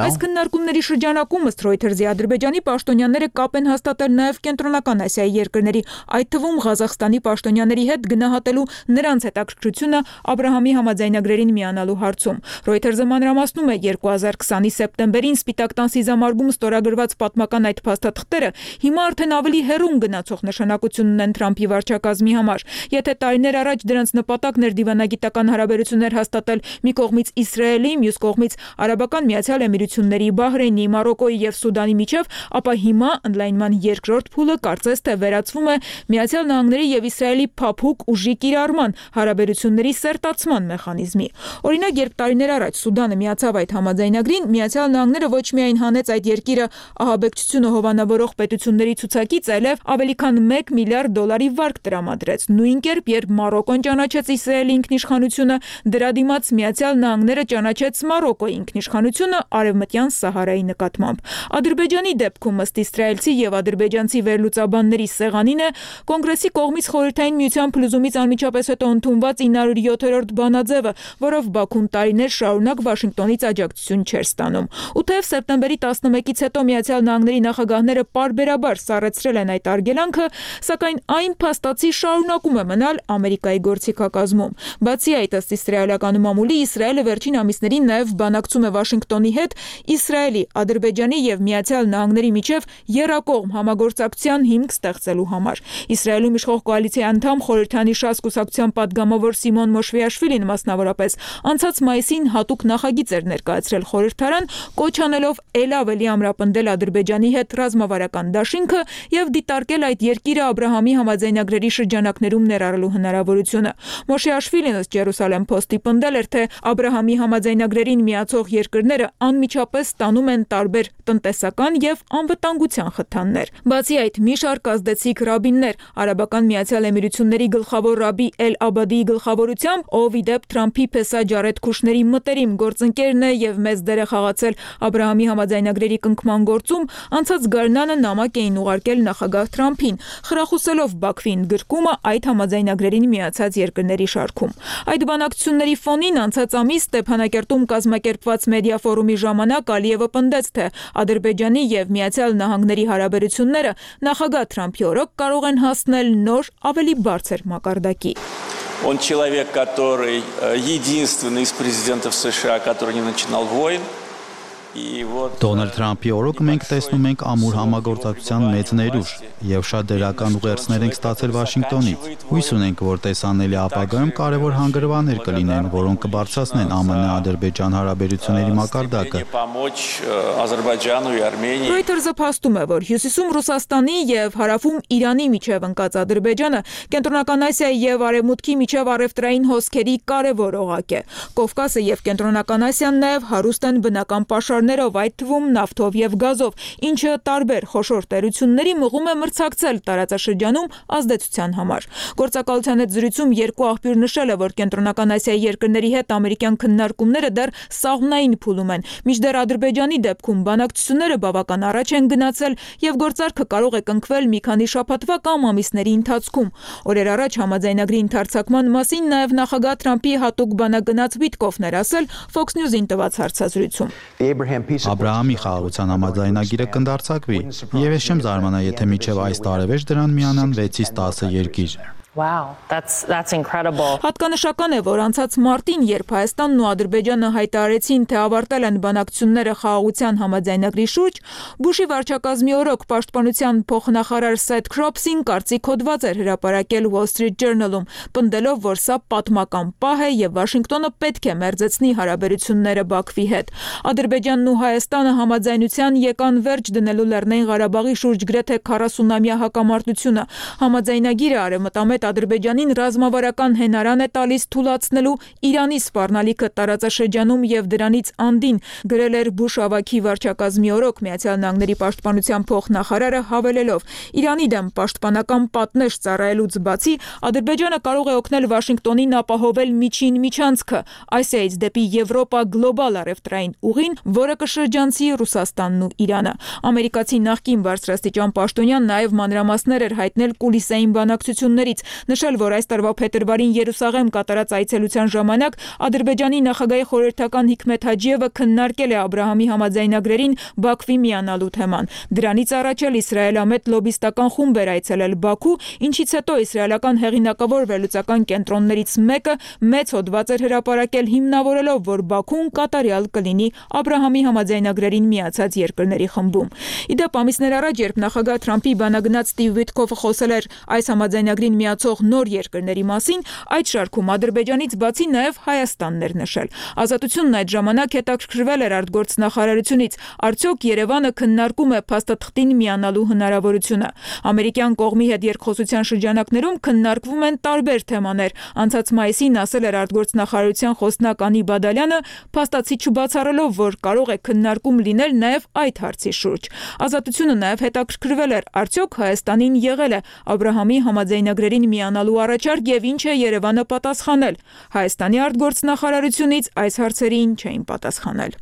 S1: Այս քննարկումների շրջանակում ըստ Reuters-ի Ադրբեջանի պաշտոնյաները կապ են հաստատել նաեւ Կենտրոնական Ասիայի երկրների, այդ թվում Ղազախստանի պաշտոնյաների հետ գնահատելու նրանց հետաքրքրությունը Աբրահամի համաձայնագրերին միանալու հարցում։ Reuters-ը մանրամասնում է 2020-ի սեպտեմբերին Սպիտակ տան սիզամարգում ստորագրված պատմական այդ փաստաթղթերը հիմա արդեն ավելի հեռուն գնացող նշանակություն ունեն Թրամփի վարչակազմի համար։ Եթե տարիներ առաջ դրանց նպատակն էր դիվանագիտական հարաբերություններ հաստատել մի կողմից Իսրայելի, մյուս կողմից Արաբական Միացյալ Էմիրությունների, Բահրեյնի, Մարոկոյի եւ Սուդանի միջև, ապա հիմա ընդլայնման երկրորդ փուլը կարծես թե վերածվում է Միացյալ Նահանգների եւ Իսրայելի փափուկ ուժի կիրառման, հարաբերությունների սերտացման մեխանիզմի։ Օրինակ, երբ տարիներ առաջ Սուդանը միացավ այդ համաձայնագրին, Միացյալ Նահանգները ոչ միայն հանեց այդ երկիրը ահաբեկչությունը հովանավորող պետությունների ցուցակից, այլև ավելի քան $1 միլիարդ վարկ տրամադրեց։ Նույն կերպ, երբ Մարոկոն ճանաչեց Իսրայելի ինքնիշխանությունը, դրա դիմաց Միացյալ Նահանգները ճանաչեց Մարոկոյի ինքնիշխանությունը Արևմտյան Սահարայի նկատմամբ։ Ադրբեջանի դեպքում ըստ իսրայելցի եւ ադրբեջանցի վերլուծաբանների սեղանին է Կոնգրեսի կողմից Խորհրդային Միության փլուզումից անմիջապես հետո ընդունված 907-րդ բանաձևը, որով Բաքուն տարիներ շարունակ Վաշինգտոնից աջակցություն չէր ստանում։ Ու թեև սեպտեմբերի 11-ից հետո Միացյալ Նահանգների նախագահները պարբերաբար սառեցրել են այդ արգելանքը, սակայն այն փաստաթղթ բացի շարունակում է մնալ Ամերիկայի գործիքակազմում։ Բացի այդ, ըստ իսրայելական մամուլի, Իսրայելը վերջին ամիսներին նաև բանակցում է Վաշինգտոնի հետ Իսրայելի, Ադրբեջանի եւ Միացյալ Նահանգների միջև եռակողմ համագործակցության հիմք ստեղծելու համար։ Իսրայելում իշխող կոալիցիայի անդամ խորհրդանի ՇԱՍ կուսակցության պատգամավոր Սիմոն Մոշվիաշվիլին մասնավորապես անցած մայիսին հատուկ նախագիծ էր ներկայացրել խորհրդարան, կոչ անելով ել ավելի ամրապնդել Ադրբեջանի հետ ռազմավարական դաշինքը եւ դիտարկել այդ երկիրը Աբրահամի համաձայնագրերի շրջանակներում ներառելու հնարավորությունը։ Մոշվիաշվիլին ըստ Jerusalem Post-ի պնդել էր, թե Աբրահամի համաձայնագրերին միացող երկրները անմիջապես ստանում են տարբեր տնտեսական եւ անվտանգության խթաններ։ Բացի այդ, մի շարք ազդեցիկ ռաբիններ, Արաբական Միացյալ Էմիրությունների գլխավոր ռաբի Էլ-Աբադիի գլխավորությամբ, ով ի դեպ Թրամփի փեսա Ջարեդ Քուշների մտերիմ գործընկերն է եւ մեծ դեր է խաղացել Աբրահամի համաձայնագրերի կնքման գործում, անցած գարնանը նամակ էին ուղարկել նախագահ Թրամփին, խրախուսելով Բաքվի ընդգրկումը այդ համաձայնագրերին միացած երկրների շարքում։ Այդ բանակցությունների ֆոնին անցած ամիս Ստեփանակերտում կազմակերպված մեդիա ֆորումի ժամանակ Ալիևը պնդեց, թե Ադրբեջանի եւ Միացյալ Նահանգների հարաբերությունները նախագահ Թրամփի օրոք կարող են հասնել նոր, ավելի բարձր մակարդակի։
S12: Он человек, который единственный из президентов США, который не начинал войн.
S11: Դոնալդ Թրամփի օրոք մենք տեսնում ենք ամուր համագործակցության մեծ ներուժ եւ շատ դերական ուղերձներ ենք ստացել Վաշինգտոնից։ Հույս ունենք, որ տեսանելի ապագայում կարևոր հանգրվաններ կլինեն, որոնք կբարձրացնեն ԱՄՆ-Ադրբեջան հարաբերությունների մակարդակը։
S1: Reuters-ը փաստում է, որ հյուսիսում Ռուսաստանի եւ հարավում Իրանի միջև ընկած Ադրբեջանը Կենտրոնական Ասիայի եւ Արևմուտքի միջև առևտրային հոսքերի կարևոր օղակ է։ Կովկասը եւ Կենտրոնական Ասիան նաեւ հարուստ են բնական պաշարներով, այդ թվում նավթով եւ գազով, ինչը տարբեր խոշոր տերությունների մղում է մրցակցել տարածաշրջանում ազդեցության համար։ Գործակալության հետ զրույցում երկու աղբյուր նշել է, որ Կենտրոնական Ասիայի երկրների հետ ամերիկյան քննարկումները դեռ սաղմնային փուլում են, մինչդեռ Ադրբեջանի դեպքում բանակցությունները բավական առաջ են գնացել եւ գործարքը կարող է կնքվել մի քանի շաբաթվա կամ ամիսների ընթացքում։ Օրեր առաջ համաձայնագրի ընդարձակման մասին նաեւ նախագահ Թրամփի հատուկ բանագնաց Վիտկոֆն էր ասել Fox News-ին տված հարցազրույցում։
S11: Աբրահամի խաղաղության համաձայնագիրը կընդարձակվի, եւ ես չեմ զարմանա, եթե մինչեւ այս տարեվերջ դրան միանան 6-ից 10 երկիր։
S13: Wow, that's incredible.
S1: Հատկանշական է, որ անցած մարտին, երբ Հայաստանն ու Ադրբեջանը հայտարարեցին, թե ավարտել են բանակցությունները խաղաղության համաձայնագրի շուրջ, Բուշի վարչակազմի օրոք պաշտպանության փոխնախարար Սեթ Քրոփսին կարծիք հոդված էր հրապարակել Wall Street Journal-ում, պնդելով, որ սա պատմական պահ է եւ Վաշինգտոնը պետք է մերձեցնի հարաբերությունները Բաքվի հետ։ Ադրբեջանն ու Հայաստանը համաձայնության եկան վերջ դնելու Լեռնային Ղարաբաղի շուրջ գրեթե 40-ամյա հակամարտությունը։ Համաձայնագիրը արևմտամետ Ադրբեջանին ռազմավարական հենարան է տալիս թուլացնելու Իրանի սպառնալիքը տարածաշրջանում եւ դրանից անդին, գրել էր Բուշ ավագի վարչակազմի օրոք Միացյալ Նահանգների պաշտպանության փոխնախարարը, հավելելով. Իրանի դեմ պաշտպանական պատնեշ ծառայելուց բացի Ադրբեջանը կարող է օգնել Վաշինգտոնին ապահովել միջին միջանցքը Ասիայից դեպի Եվրոպա գլոբալ առևտրային ուղին, որը կշրջանցի Ռուսաստանն ու Իրանը։ Ամերիկացի նախկին բարձրաստիճան պաշտոնյան նաեւ մանրամասներ էր հայտնել կուլիսային բանակցություններից, նշել, որ այս տարվա փետրվարին Երուսաղեմ կատարած այցելության ժամանակ Ադրբեջանի նախագահի խորհրդական Հիքմեթ Հաջիևը քննարկել է Աբրահամի համաձայնագրերին Բաքվի միանալու թեման։ Դրանից առաջ էլ իսրայելամետ լոբիստական խումբ էր այցելել Բաքու, ինչից հետո իսրայելական հեղինակավոր վերլուծական կենտրոններից մեկը մեծ հոդված էր հրապարակել հիմնավորելով, որ Բաքուն կատարյալ կլինի Աբրահամի համաձայնագրերին միացած երկրների խմբում։ Իդեպ ամիսներ առաջ, երբ նախագահ Թրամփի բանագնաց Ստիվ Վիտկոֆը խոսել էր այս համաձայնագրին միացող նոր երկրների մասին, այդ շարքում Ադրբեջանից բացի նաև Հայաստանն էր նշել։ Ազատությունն այդ ժամանակ հետաքրքրվել էր արտգործնախարարությունից, արդյոք Երևանը քննարկում է փաստաթղթին միանալու հնարավորությունը։ Ամերիկյան կողմի հետ երկխոսության շրջանակներում քննարկվում են տարբեր թեմաներ։ Անցած մայիսին ասել էր արտգործնախարարության խոսնակ Անի Բադալյանը, փաստացի չբացառելով, որ կարող է քննարկում լինել նաև այդ հարցի շուրջ։ Ազատությունը նաև հետաքրքրվել էր, արդյոք Հայաստանին եղել է Աբրահամի համաձայնագրերին միանալու առաջարկ եւ ինչ է Երևանը պատասխանել։ Հայաստանի արտգործնախարարությունից այս հարցերին չէին պատասխանել։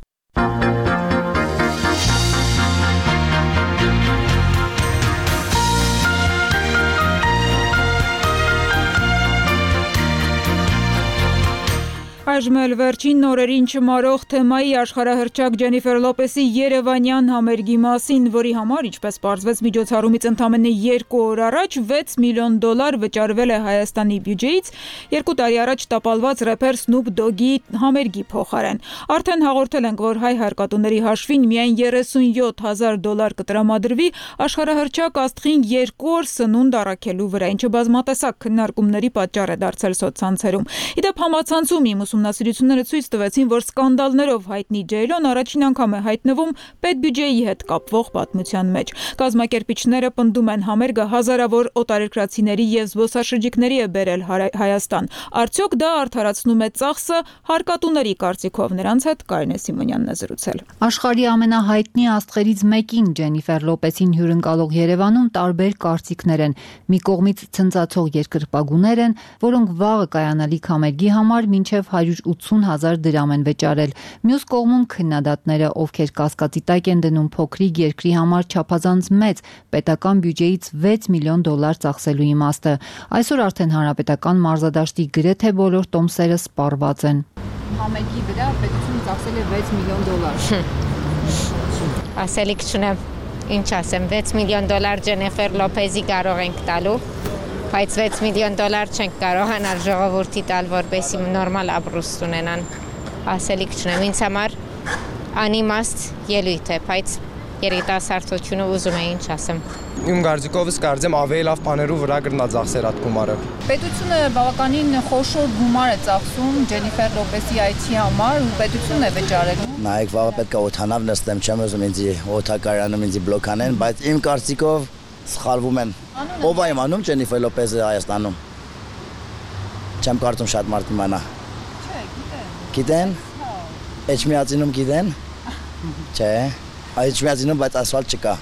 S1: Այժմ էլ վերջին նորերին չմարող թեմայի աշխարհահռչակ Ջենիֆեր Լոպեսի երևանյան համերգի մասին, որի համար, ինչպես պարզվեց միջոցառումից ընդամենը 2 օր առաջ, $6 միլիոն վճարվել է Հայաստանի բյուջեից 2 տարի առաջ տապալված рэփեր Snoop Dogg-ի համերգի փոխարեն։ Արդեն հաղորդել ենք, որ հայ հարկատուների հաշվին միայն $37,000 կտրամադրվի աշխարհահռչակ աստղին 2 օր սնունդ առաքելու վրա, ինչը բազմատեսակ քննարկումների պատճառ է դարձել սոցցանցերում։ Իդեպ համացանցում իմ ուսումնասիրությունները ցույց տվեցին, որ սկանդալներով հայտնի Ջեյլոն առաջին անգամ է հայտնվում պետբյուջեի հետ կապվող պատմության մեջ։ Կազմակերպիչները պնդում են, համերգը հազարավոր օտարերկրացիների եւ զբոսաշրջիկների է բերել Հայաստան։ Արդյոք դա արդարացնում է ծախսը հարկատուների կարծիքով? Նրանց հետ Կարինե Սիմոնյանն է զրուցել։
S4: Աշխարհի ամենահայտնի աստղերից մեկին Ջենիֆեր Լոպեսին հյուրընկալող Երևանում տարբեր կարծիքներ են։ Մի կողմից ցնծացող երկրպագուներ են, որոնք վաղը կայանալիք համերգի համար մինչև $180,000 են վճարել։ Մյուս կողմում քննադատները, ովքեր կասկածի տակ են դնում փոքրիկ երկրի համար չափազանց մեծ պետական բյուջեից $6 միլիոն ծախսելու իմաստը։ Այսօր արդեն հանրապետական մարզադաշտի գրեթե բոլոր տոմսերը սպառված են։ Համերգի վրա պետությունը ծախսել է $6 միլիոն։
S14: Ասելիք չունեմ, ինչ ասեմ, $6 միլիոն Ջենիֆեր Լոպեսի կարող ենք տալու, բայց $6 միլիոն չենք կարողանալ ժողովրդի տալ, որպեսզի նորմալ ապրուստ ունենան։ Ասելիք չունեմ, ինձ համար անիմաստ ելույթ է, բայց երիտասարդությունը ուզում է, ինչ ասեմ։
S15: Իմ կարծիքովս կարծեմ ավելի լավ բաներու վրա կրնա ծախսեր այդ գումարը։
S4: Պետությունը բավականին խոշոր գումար է ծախսում Ջենիֆեր Լոպեսի այցի համար ու պետությունն է վճարելու։
S16: Նայեք, վաղը պետք է օթանավ նստեմ, չեմ ուզում ինձ օթակարանում ինձ բլոկանեն, բայց իմ կարծիքով սխալվում են։ Ով է իմանում Ջենիֆեր Լոպեսը Հայաստանում։ Չեմ կարծում շատ մարդ իմանա։ Չէ, գիտեն։ Էջմիածինում գիտեն։ Չէ, Էջմիածինում բայց ասֆալտ չկա։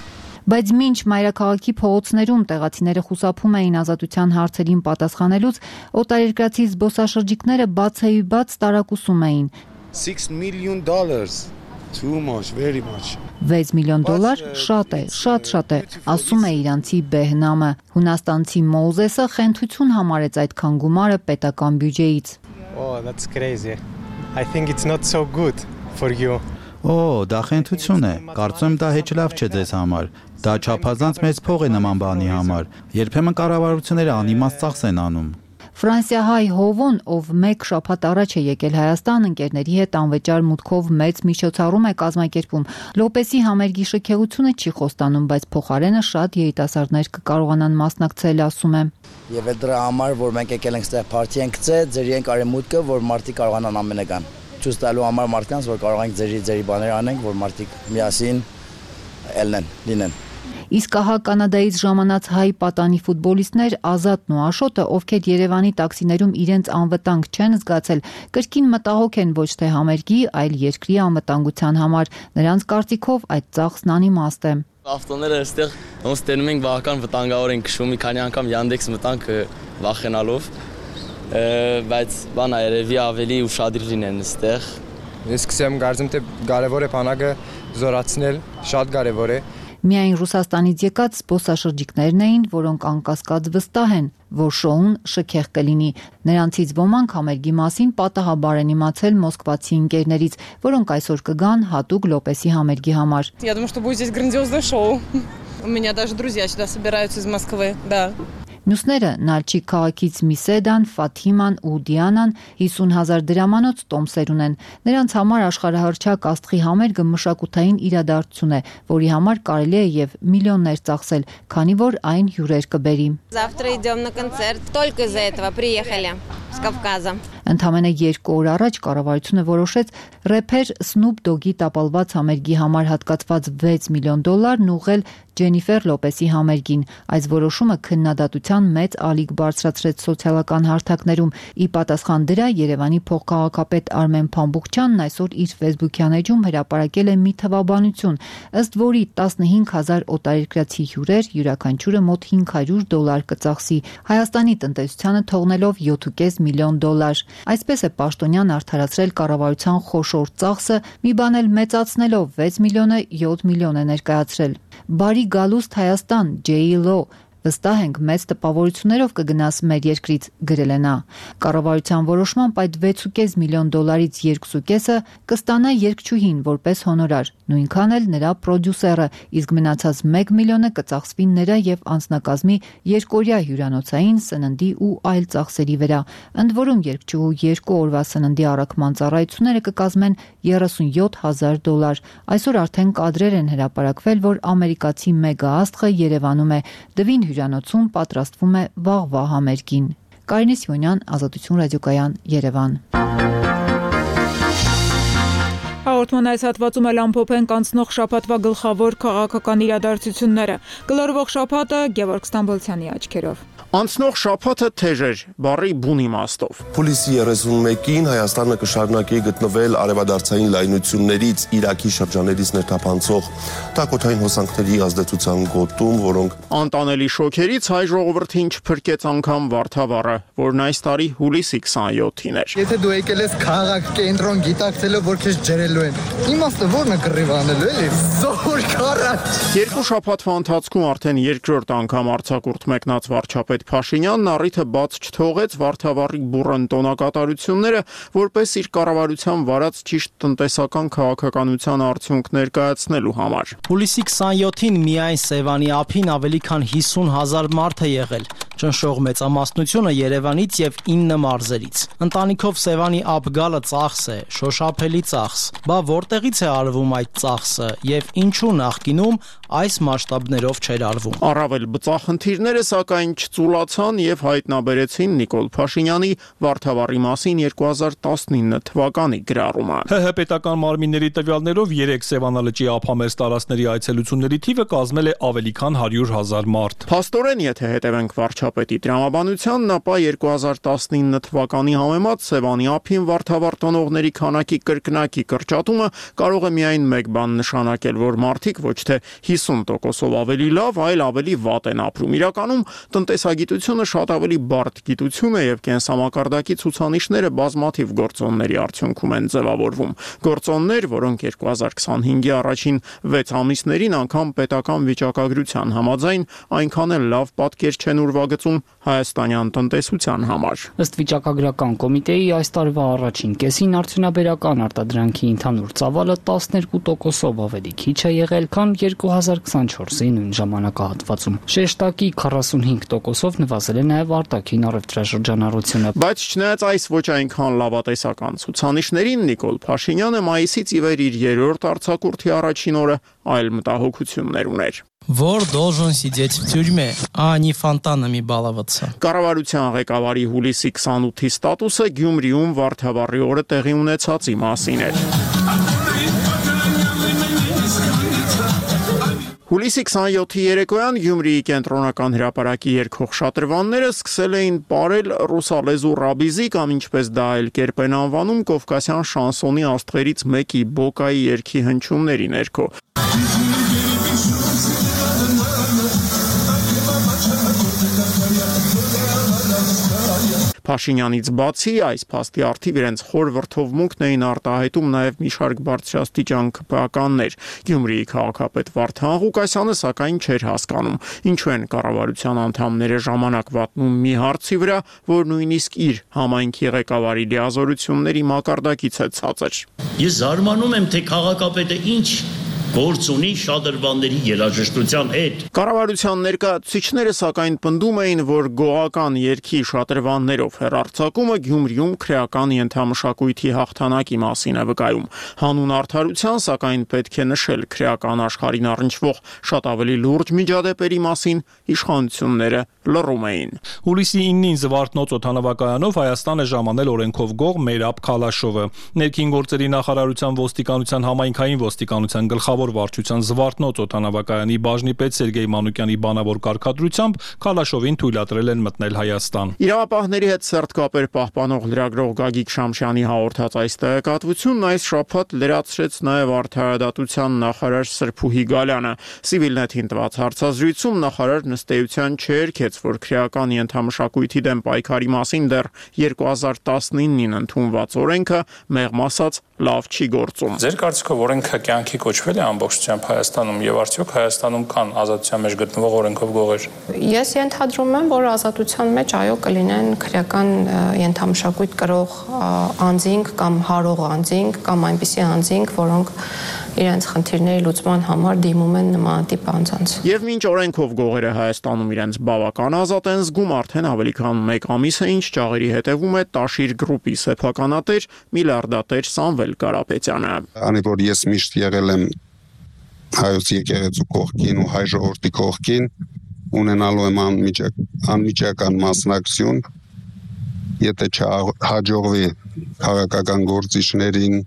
S4: Բայց մինչ մայրաքաղաքի փողոցներում տեղացիները խուսափում էին ազատության հարցերին պատասխանելուց, օտարերկրացի զբոսաշրջիկները բացեիբաց տարակուսում էին։
S17: $6 million. Too much, very much.
S4: $6 միլիոն շատ է, շատ է, ասում է իրանցի Բեհնամը։ Հունաստանցի Մոզեսը խենթություն համարեց այդքան գումարը պետական բյուջեից։
S15: Oh, that's crazy. I think it's not so good for you.
S11: Դա խենթություն է։ Կարծում եմ դա հեչ լավ չէ ձեզ համար։ Դա չափազանց մեծ փող է նման բանի համար։ Երբեմն կառավարությունները անիմաստ ծախս են անում։
S4: Ֆրանսիահայ Հովոն, ով 1 շաբաթ առաջ է եկել Հայաստան, ընկերների հետ անվճար մուտքով մեծ միջոցառում է կազմակերպում։ Լոպեսի համերգի շքեղությունը չի խոստանում, բայց փոխարենը շատ երիտասարդներ կկարողանան մասնակցել, ասում է։
S16: Եվ դրա համար, որ մենք եկել ենք ստեղ պարտի ենք գցել, ձեր ենք արի մուտքը, որ մարդիկ կարողանան ամենը գան։ Ցույց տալու համար մարդկանց, որ կարող ենք ձերի բաներ անենք, որ մարդիկ միասին լինեն։
S4: Իսկ ահա Կանադայից ժամանած հայ պատանի ֆուտբոլիստներ Ազատն ու Աշոտը, ովքեր Երևանի տաքսիներում իրենց անվտանգ չեն զգացել, կրկին մտահոգ են ոչ թե համերգի, այլ երկրի անվտանգության համար։ Նրանց կարծիքով այդ ծախսն անիմաստ է։
S18: Ավտոները այստեղ ոնց տենում ենք բավական վտանգավոր են քշում, մի քանի անգամ Yandex մտանք վախենալով, բայց բանա երևի ավելի ուշադիր լինեն այստեղ։
S15: Ես սկսեմ կարծում թե կարևոր է բանակը զորացնել, շատ կարևոր է։
S4: Միայն Ռուսաստանից եկած զբոսաշրջիկներն էին, որոնք անկասկած վստահ են, որ շոուն շքեղ կլինի։ Նրանցից ոմանք համերգի մասին պատահաբար են իմացել մոսկվացի ընկերներից, որոնք այսօր կգան հատուկ Լոպեսի համերգի համար։
S19: Я думаю, что будет здесь грандиозное шоу. У меня даже друзья сюда собираются из Москвы, да.
S4: Մյուսները Նալչիկ քաղաքից Միսեդան, Ֆաթիման ու Դիանան $50,000 տոմսեր ունեն։ Նրանց համար աշխարհահռչակ աստղի համերգը մշակութային իրադարձություն է, որի համար կարելի է եւ միլիոններ ծախսել, քանի որ այն հյուրեր կբերի։
S14: Завтра идем на концерт. Только из-за этого приехали с Кавказа.
S4: Ընդամենը 2 օր առաջ կառավարությունը որոշեց рэփեր Snoop Dogg-ի տապալված համերգի համար հատկացված $6 միլիոն ուղղել Ջենիֆեր Լոպեսի համերգին։ Այս որոշումը քննադատության մեծ ալիք բարձրացրեց սոցիալական հարթակներում։ Ի պատասխան դրա Երևանի փոխքաղաքապետ Արմեն Փամբուխչյանն այսօր իր Facebook-յան էջում հրապարակել է մի թվաբանություն, ըստ որի 15,000 օտարերկրացի հյուրեր յուրաքանչյուրը մոտ $500 կծախսի, Հայաստանի տնտեսությանը թողնելով $7.5 միլիոն։ Այսպես է պաշտոնյան արդարացրել կառավարության խոշոր ծախսը, մի բան էլ մեծացնելով $6 միլիոնը $7 միլիոն է ներկայացրել։ Բարի գալուստ Հայաստան, J.Lo Վստահ ենք մեծ տպավորություններով կգնաս մեր երկրից, գրել է նա։ Կառավարության որոշմամբ այդ 6.5 միլիոն դոլարից 2.5-ը կստանա երգչուհին որպես հոնորար, նույնքան էլ նրա պրոդյուսերը, իսկ մնացած 1 միլիոնը կծախսվի նրա եւ անձնակազմի երկօրյա հյուրանոցային, սննդի ու այլ ծախսերի վրա։ Ընդ որում երգչուհու 2 օրվա սննդի առաքման ծառայությունները կկազմեն $37,000։ Այսօր արդեն կադրեր են հրապարակվել, որ ամերիկացի մեգա աստղը Երևանում է, Դվին հյուրանոցում պատրաստվում է վաղվա համերգին։ Կարինե Սիմոնյան, Ազատություն ռադիոկայան, Երևան։
S1: Հաղորդման այս հատվածում էլ ամփոփենք անցնող շաբաթվա գլխավոր քաղաքական իրադարձությունները։ Գլորվող շաբաթը Գևորգ Ստամբոլցյանի աչքերով։
S20: Անցնող շաբաթը թեժ էր, բառի բուն իմաստով։
S21: Փուլիսի 31-ին Հայաստանը կշարունակի գտնվել արևադարձային լայնություններից Իրաքի շրջաններից ներթափանցող տակոթային հոսանքների ազդեցության գոտում, որոնք
S20: անտանելի շոքերից հայ ժողովրդին չփրկեց անգամ Վարդավառը, որն այս տարի հուլիսի 27-ին էր։
S22: Եթե դու եկել ես քաղաք կենտրոն գիտակցելով, որ քեզ ջրելու են, իմաստը ո՞րն է կռիվ անելու, էլի։ Զոր քարաչ։
S20: Երկու շաբաթվա ընթացքում արդեն երկրորդ անգամ արձակուրդ մեկնած վարչապետ Փաշինյանն առիթը բաց չթողեց Վարդավառի բուռն տոնակատարությունները, որպես իր կառավարության վարած ճիշտ տնտեսական քաղաքականության արդյունք ներկայացնելու համար։
S23: Հուլիսի 27-ին միայն Սևանի ափին ավելի քան 50,000 մարդ է եղել։ Ճնշող մեծամասնությունը Երևանից եւ 9 մարզերից։ Ընտանիքով Սևանի ափ գալը ծախս է, շոշափելի ծախս։ Բա որտեղից է արվում այդ ծախսը եւ ինչու նախկինում այս մասշտաբներով չէր արվում։
S20: Առավել բծախնդիրները սակայն չծուլացան եւ հայտնաբերեցին Նիկոլ Փաշինյանի Վարդավառի մասին 2019 թվականի գրառումը։
S24: ՀՀ պետական մարմինների տվյալներով 3 Սևանալճի ափամերձ տարածքների այցելությունների թիվը կազմել է ավելի քան 100,000 մարդ։
S20: Փաստորեն, եթե հետևենք վարչապետի տրամաբանությանն, ապա 2019 թվականի համեմատ Սևանի ափին Վարդավառ տոնողների քանակի կրկնակի կրճատումը կարող է միայն մեկ բան նշանակել, որ մարդիկ ոչ թե 50%-ով ավելի լավ, այլ ավելի վատ են ապրում։ Իրականում տնտեսագիտությունը շատ ավելի բարդ գիտություն է եւ կենսամակարդակի ցուցանիշները բազմաթիվ գործոնների արդյունքում են ձևավորվում։ Գործոններ, որոնք 2025-ի առաջին 6 ամիսներին անգամ պետական վիճակագրության համաձայն այնքան էլ լավ պատկեր չեն ուրվագծում հայաստանյան տնտեսության համար։
S25: Ըստ վիճակագրական կոմիտեի այս տարվա առաջին կեսին արդյունաբերական արտադրանքի ընդհանուր ծավալը 12%-ով ավելի քիչ է եղել, քան 2024-ի նույն ժամանակահատվածում։ Շեշտակի 45%-ով նվազել է նաև արտաքին առևտրաշրջանառությունը։
S20: Բայց չնայած այս ոչ այնքան լավատեսական ցուցանիշներին, Նիկոլ Փաշինյանը մայիսից ի վեր իր երրորդ արձակուրդի առաջին օրը այլ մտահոգություններ ուներ։
S23: Որ должен сидеть в тюрьме, а не фонтанами баловаться։
S20: Կառավարության ղեկավարի հուլիսի 28-ի ստատուսը Գյումրիում Վարդավառի օրը տեղի ունեցածի մասին էր։ Հուլիսի 27-ի երեկոյան Գյումրիի կենտրոնական հրապարակի երգող շատրվանները սկսել էին պարել ռուսալեզու ռաբիզի կամ ինչպես դա այլ կերպ են անվանում կովկասյան շանսոնի աստղերից մեկի Բոկայի երգի հնչյունների ներքո։ Փաշինյանից բացի այս փաստի առթիվ իրենց խոր վրթովմունքն էին արտահայտում նաև մի շարք բարձրաստիճան ԿՊԱ-կաններ։ Գյումրիի քաղաքապետ Վարդան Ղուկասյանը սակայն չէր հասկանում, ինչու են կառավարության անդամները ժամանակ վատնում մի հարցի վրա, որ նույնիսկ իր համայնքի ղեկավարի լիազորությունների մակարդակից է ցածր։
S26: Ես զարմանում եմ, թե քաղաքապետը ինչ գործ ունի շատրվանների երաժշտության հետ։
S20: Կառավարության ներկայացուցիչները սակայն պնդում էին, որ գոհական երգի շատրվաններով հեռարձակումը Գյումրիում քրեական ենթամշակույթի հաղթանակի մասին է վկայում։ Հանուն արդարության, սակայն պետք է նշել քրեական աշխարհին առնչվող շատ ավելի լուրջ միջադեպերի մասին իշխանությունները լռում էին։
S24: Հուլիսի 9-ին Զվարթնոց օդանավակայանով Հայաստան է ժամանել օրենքով գող Մերապ Քալաշովը։ Ներքին գործերի նախարարության ոստիկանության համայնքային ոստիկանության գլխավոր վարչության Զվարթնոց օդանավակայանի բաժնի պետ Սերգեյ Մանուկյանի բանավոր կարգադրությամբ Քալաշովին թույլատրել են մտնել Հայաստան։
S20: Իրավապահների հետ սերտ կապեր պահպանող լրագրող Գագիկ Շամշյանի հաղորդած այս տեղեկատվությունն այս շաբաթ լրացրեց նաև արդարադատության նախարար Սրփուհի Գալյանը։ Civilnet-ին տված հարցազրույցում նախարարն ըստ էության չերքեց, որ քրեական ենթամշակույթի դեմ պայքարի մասին դեռ 2019-ին ընդունված օրենքը մեղմ ասած լավ չի գործում։
S27: Ձեր կարծիքով օրենքը կյանքի կոչվել է
S24: ամբողջությամբ Հայաստանում եւ արդյոք Հայաստանում կան ազատության մեջ գտնվող օրենքով գողեր։
S13: Ես ենթադրում եմ, որ ազատության մեջ այո կլինեն քրեական ենթամշակույթ կրող անձինք կամ հարող անձինք կամ այնպիսի անձինք, որոնք իրենց խնդիրների լուծման համար դիմում են նմանատիպ անձանց։
S20: Եվ մինչ օրենքով գողերը Հայաստանում իրենց բավական ազատ են զգում, արդեն ավելի քան 1 ամիս է, ինչ ճաղերի հետևում է Տաշիր գրուպի սեփականատեր միլիարդատեր Սամվել Կարապետյանը։
S21: Անի որ ես միշտ եղել եմ հայոց եկեղեցու կողքին ու հայ ժողովրդի կողքին, ունենալու եմ անմիջական մասնակցություն, եթե չհաջողվի քաղաքական գործիչներին,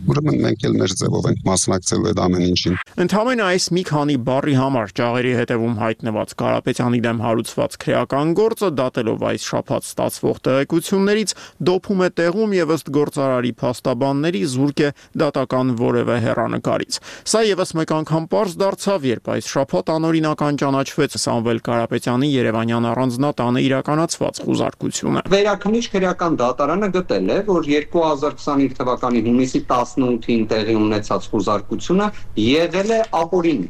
S21: ուրեմն մենք էլ մեր ձևով ենք մասնակցելու այդ ամեն ինչին։
S20: Ընդհանրապես այս մի քանի բառի համար ճաղերի հետևում հայտնված Կարապետյանի դեմ հարուցված քրեական գործը դատելով այս շաբաթ ստացվող տեղեկություններից դոփում է տեղում եւ ըստ գործարարի փաստաբանների զուրկ է դատական որևէ հեռանկարից։ Սա եւս մեկ անգամ պարզ դարձավ, երբ այս շաբաթ անօրինական ճանաչվեց Սամվել Կարապետյանի Երևանյան առանձնատանը իրականացված խուզարկությունը։
S2: Վերաքննիչ քրեական դատարանը գտել է, որ 2025 թվականի հունիսի 18-ին տեղի ունեցած խուզարկությունը եղել է ապօրինի,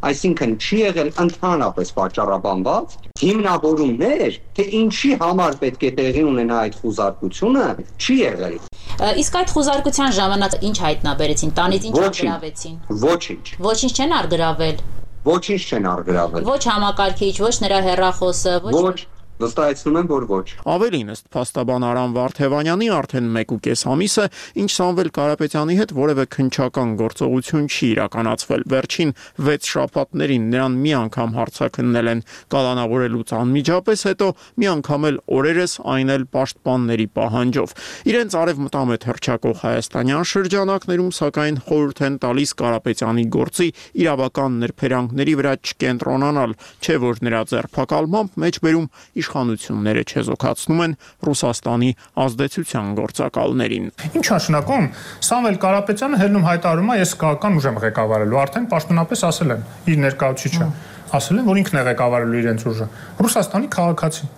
S2: այսինքն չի եղել ընդհանրապես պատճառաբանված, հիմնավորումներ, թե ինչի համար պետք է տեղի ունենա այդ խուզարկությունը, չի եղել։
S3: Իսկ այդ խուզարկության ժամանակ ինչ հայտնաբերեցին, տանից ինչ արգրավեցին։
S2: Ոչինչ։
S3: Ոչինչ չեն արգրավել։
S2: Ոչինչ չեն արգրավել։
S3: Ոչ համակարգիչ, ոչ նրա հեռախոսը,
S2: ոչ վստահեցնում եմ, որ ոչ։
S20: Ավելին ըստ փաստաբան Արամ Վարդևանյանի արդեն 1.5 ամիս է, ինչ Սամվել Կարապետյանի հետ որևէ քննչական գործողություն չի իրականացվել։ Վերջին 6 շաբաթներին նրան մի անգամ հարցաքննել են կալանավորելուց անմիջապես հետո, մի անգամ էլ օրերս, այն էլ պաշտպանների պահանջով։ Իրենց արևմտամետ հռչակող հայաստանյան շրջանակներում սակայն խորհուրդ են տալիս Կարապետյանի գործի իրավական նրբերանգների վրա չկենտրոնանալ, չէ որ նրա ձերբակալմամբ մեջբերում իշխանությունները չեզոքացնում են Ռուսաստանի ազդեցության գործակալներին։
S6: Ինչ նշանակում Սամվել Կարապետյանը հելնում հայտարարում է ես քաղաքական ուժ եմ ղեկավարելու, արդեն պաշտոնապես ասել են իր ներկայացուցիչը, ասել են որ ինքն է ղեկավարելու իրենց ուժը։ Ռուսաստանի քաղաքացի։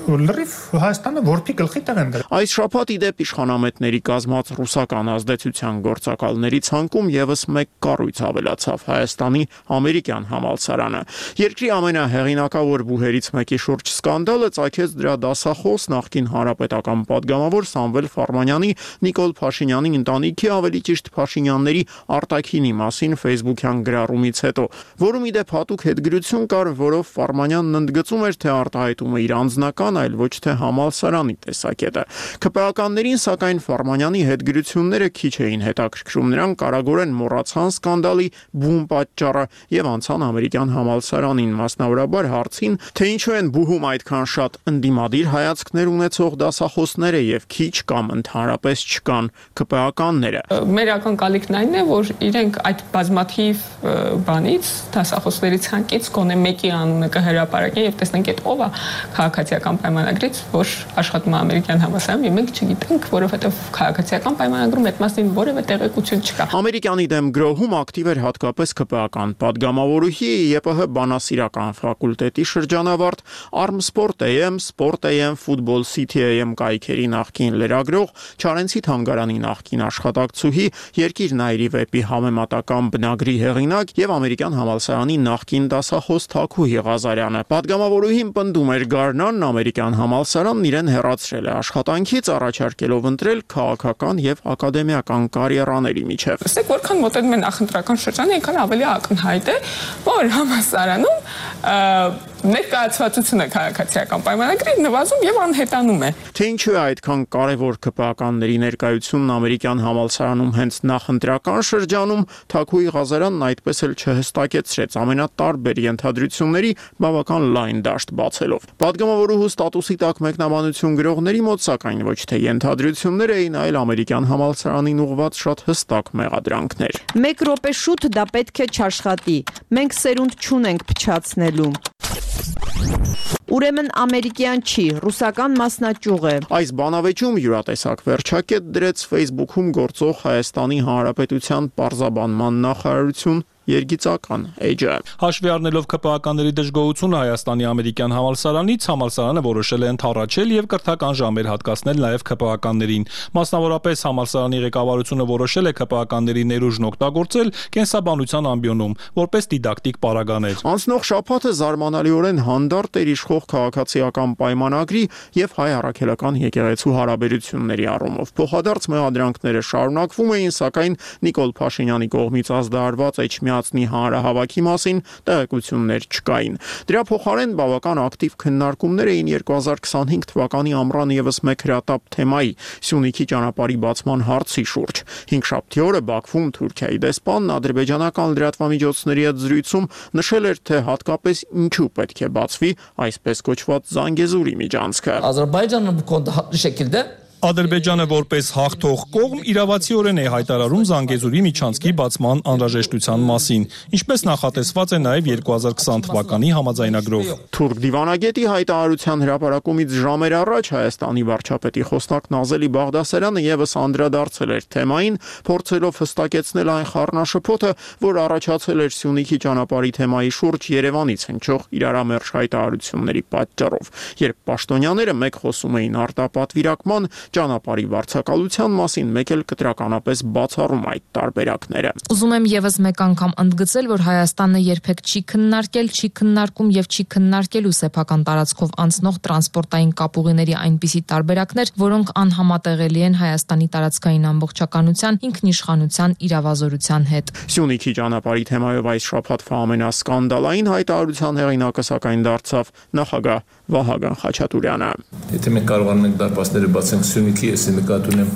S6: Լրիվ Հայաստանը որփի գլխի տեղ են դրել։
S20: Այս շաբաթ ի դեպ իշխանամետների կազմած ռուսական ազդեցության գործակալների ցանկում եւս մեկ կառույց ավելացավ՝ Հայաստանի ամերիկյան համալսարանը։ Երկրի ամենահեղինակավոր բուհերից մեկի շուրջ սկանդալը ծագեց դրա դասախոս նախկին հանրապետական падգամավոր Սամվել Ֆարմանյանի Նիկոլ Փաշինյանի ընտանիքի, ավելի ճիշտ Փաշինյանների արտաքինի մասին Facebook-յան գրառումից հետո, որում ի դեպ հատուկ հետգրություն կար, որով Ֆարմանյանն ընդգծում էր, թե արտահայտումը իր անձնական այլ ոչ թե համալսարանի տեսակետը։ ԿՊԱ-ականներին սակայն Ֆարմանյանի հետգրությունները քիչ էին հետաքրքրում, նրանք կարագորեն մոռացան սկանդալի բուն պատճառը եւ անցան ամերիկյան համալսարանին, մասնավորաբար հարցին, թե ինչու են բուհում այդքան շատ ընդդիմադիր հայացքներ ունեցող դասախոսները եւ քիչ կամ ընդհանրապես չկան ԿՊԱ-ականները։
S19: Մեր ակնկալիքն այն է, որ իրենք այդ բազմաթիվ բանից դասախոսների ցանկից գոնե մեկի անունը կհրապարակեն եւ տեսնենք այդ ով է քաղաքացիական պայմանագրից, որ աշխատում է ամերիկյան համալսարանում, եւ մենք չգիտենք, որովհետեւ քաղաքացիական պայմանագրում այդ մասին որևէ տեղեկություն չկա։
S20: Ամերիկանի դեմ գրոհում ակտիվ էր հատկապես ԿՊԱ-ական падգամավորուհի ԵՊՀ բանասիրական ֆակուլտետի շրջանավարտ Armsport AM, Sport AM, Football City AM կայքերի նախկին լրագրող, Չարենցի թանգարանի նախկին աշխատակցուհի, Երկիր Նայիրի վեպի համեմատական բնագրի հեղինակ եւ ամերիկյան համալսարանի նախկին դասախոս Թաքուհի Ղազարյանը։ Падգամավորուհին պնդում էր Գարնանն ամերիկյան համալսարանն իրեն հեռացրել է աշխատանքից, առաջարկելով ընտրել քաղաքական եւ ակադեմիական կարիերաների միջև։
S19: Տեսեք, որքան մոտենում են նախընտրական շրջանը, այնքան ավելի ակնհայտ է, որ համալսարանում ներկայացվածությունը քաղաքացիական պայմանագրի նվազում եւ անհետանում է։
S20: Թե ինչու է այդքան կարևոր ԿՊԱ-ականների ներկայությունն ամերիկյան համալսարանում հենց նախընտրական շրջանում, Թաքուի Ղազարյանն այդպես էլ չհստակեցրեց ամենատարբեր ենթադրությունների բավական լայն դաշտ բացելով։ Պատգամավորուհու ստատուսի տակ մեկնաբանություն գրողների մոտ սակայն ոչ թե ենթադրություններ էին, այլ ամերիկյան համալսարանին ուղղված շատ հստակ մեղադրանքներ։
S5: 1 րոպե շուտ դա պետք է չաշխատի։ Մենք սերունդ չունենք փչացնելու։ Ուրեմն ամերիկյան չի, ռուսական մասնաճյուղ է։
S20: Այս բանավեճում յուրատեսակ վերջակետ դրեց Facebook-ում գործող Հայաստանի Հանրապետության պարզաբանման նախարարություն երգիծական էջը։
S24: Հաշվի առնելով ԿՊԱ-ականների դժգոհությունը Հայաստանի ամերիկյան համալսարանից, համալսարանը որոշել է ընդառաջել եւ կրթական ժամեր հատկացնել նաեւ ԿՊԱ-ականներին։ Մասնավորապես համալսարանի ղեկավարությունը որոշել է ԿՊԱ-ականների ներուժն օգտագործել կենսաբանության ամբիոնում որպես դիդակտիկ պարագաներ։
S20: Անցնող շաբաթը զարմանալիորեն հանդարտ էր իշխող քաղաքացիական պայմանագրի եւ հայ առաքելական եկեղեցու հարաբերությունների առումով։ Փոխադարձ մեղադրանքները շարունակվում էին, սակայն Նիկոլ Փաշինյանի կողմից ազդարարված Էջմիածնի հանրահավաքի մասին տեղեկություններ չկային։ Դրա փոխարեն բավական ակտիվ քննարկումներ էին 2025 թվականի ամռան եւս մեկ հրատապ թեմայի՝ Սյունիքի ճանապարհի բացման հարցի շուրջ։ Հինգշաբթի օրը Բաքվում Թուրքիայի դեսպանն ադրբեջանական լրատվամիջոցների հետ զրույցում նշել էր, թե հատկապես ինչու պետք է բացվի այսպես կոչված Զանգեզուրի միջանցքը։
S7: Ադրբեջանը շեկիլդե
S24: Ադրբեջանը որպես հաղթող կողմ իրավացիորեն է հայտարարում Զանգեզուրի միջանցքի բացման անհրաժեշտության մասին, ինչպես նախատեսված է նաև 2020 թվականի համաձայնագրով։
S20: Թուրք դիվանագետի հայտարարության հրապարակումից ժամեր առաջ Հայաստանի վարչապետի խոսնակ Նազելի Բաղդասարյանը եւս անդրադարձել էր թեմային, փորձելով հստակեցնել այն խառնաշփոթը, որ առաջացել էր Սյունիքի ճանապարհի թեմայի շուրջ Երևանից հնչող իրարամերժ հայտարարությունների պատճառով, երբ պաշտոնյաները մեկ խոսում էին արտապատվիրակման ճանապարհի վարձակալության մասին, մեկ էլ կտրականապես բացառում այդ տարբերակները։
S8: Ուզում եմ եւս մեկ անգամ ընդգծել, որ Հայաստանը երբեք չի քննարկել, չի քննարկում եւ չի քննարկելու սեփական տարածքով անցնող տրանսպորտային կապուղիների այնպիսի տարբերակներ, որոնք անհամատեղելի են Հայաստանի տարածքային ամբողջականության, ինքնիշխանության, իրավազորության հետ։
S20: Սյունիքի ճանապարհի թեմայով այս շաբաթվա ամենասկանդալային հայտարարության հեղինակը սակայն դարձավ նախագահ Վահագն Խաչատուրյանը։
S9: Եթե մենք կարողանում ենք դարպասները բացենք Սյունիքի, ես նկատի ունեմ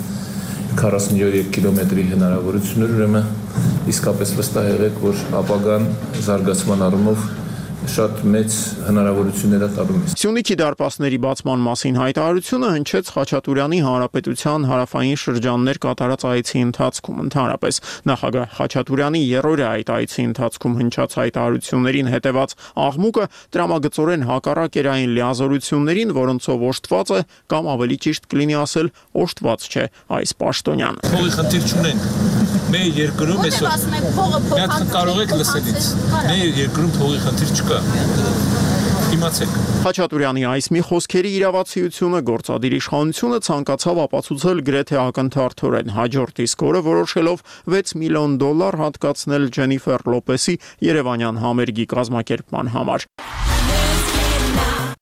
S9: 43 կիլոմետրի հնարավորություններ, ուրեմն իսկապես վստահ եղեք, որ ապագան զարգացման առումով շատ մեծ հնարավորություններ է տալու մեզ։
S20: Սյունիքի դարպասների բացման մասին հայտարարությունը հնչեց Խաչատուրյանի հանրապետության հարավային շրջաններ կատարած այցի ընթացքում։ Ընդհանրապես նախագահ Խաչատուրյանի երրորդը այդ այցի ընթացքում հնչած հայտարարություններին հետևած աղմուկը տրամագծորեն հակառակ էր այն լիազորություններին, որոնցով օժտված է կամ ավելի ճիշտ կլինի ասել օժտված չէ այս պաշտոնյան։
S9: Փողի խնդիր չունենք։ Մեր երկրում այսօր կարող եք լսել ինձ։ Մեր երկրում փողի խնդիր չկա։ Իմացեք։
S20: Խաչատուրյանի այս մի խոսքերի իրավացիությունը գործադիր իշխանությունը ցանկացավ ապացուցել գրեթե ակնթարթորեն հաջորդ իսկ օրը որոշելով $6 միլիոն հատկացնել Ջենիֆեր Լոպեսի երևանյան համերգի կազմակերպման համար։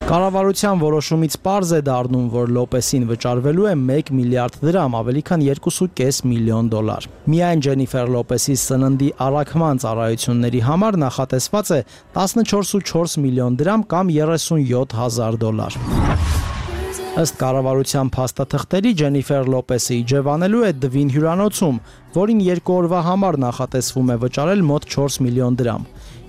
S23: Կառավարության որոշումից պարզ է դառնում, որ Լոպեսին վճարվելու է $1 միլիարդ, ավելի քան $2.5 միլիոն։ Միայն Ջենիֆեր Լոպեսի սննդի առաքման ծառայությունների համար նախատեսված է $14.4 միլիոն կամ $37,000։ Ըստ կառավարության փաստաթղթերի Ջենիֆեր Լոպեսը իջևանելու է Դվին հյուրանոցում, որին 2 օրվա համար նախատեսվում է վճարել մոտ $4 միլիոն։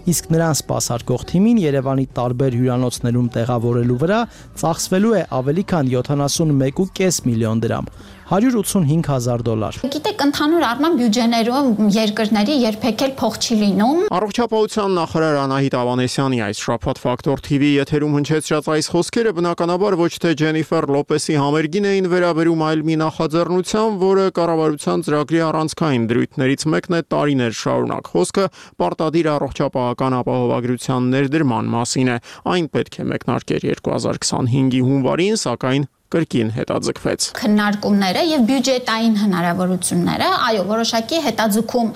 S23: Իսկ նրան սպասարկող թիմին Երևանի տարբեր հյուրանոցներում տեղավորելու վրա ծախսվելու է ավելի քան $71.5 միլիոն, $185,000։
S10: Գիտեք, ընդհանուր առմամբ բյուջեներում երկրների երբեք էլ փող չի լինում։
S20: Առողջապահության նախարար Անահիտ Ավանեսյանի այս շաբաթ Ֆակտոր TV եթերում հնչեցրած այս խոսքերը բնականաբար ոչ թե Ջենիֆեր Լոպեսի համերգին էին վերաբերում, այլ մի նախաձեռնության, որը կառավարության ծրագրի առանցքային դրույթներից մեկն է տարիներ շարունակ։ Խոսքը պարտադիր առողջապահական ապահովագրության ներդրման մասին է։ Այն պետք է մեկնարկեր 2025-ի հունվարին, սակայն կրկին հետաձգվեց։
S10: Քննարկումները եւ բյուջետային հնարավորությունները, այո, որոշակի հետաձգում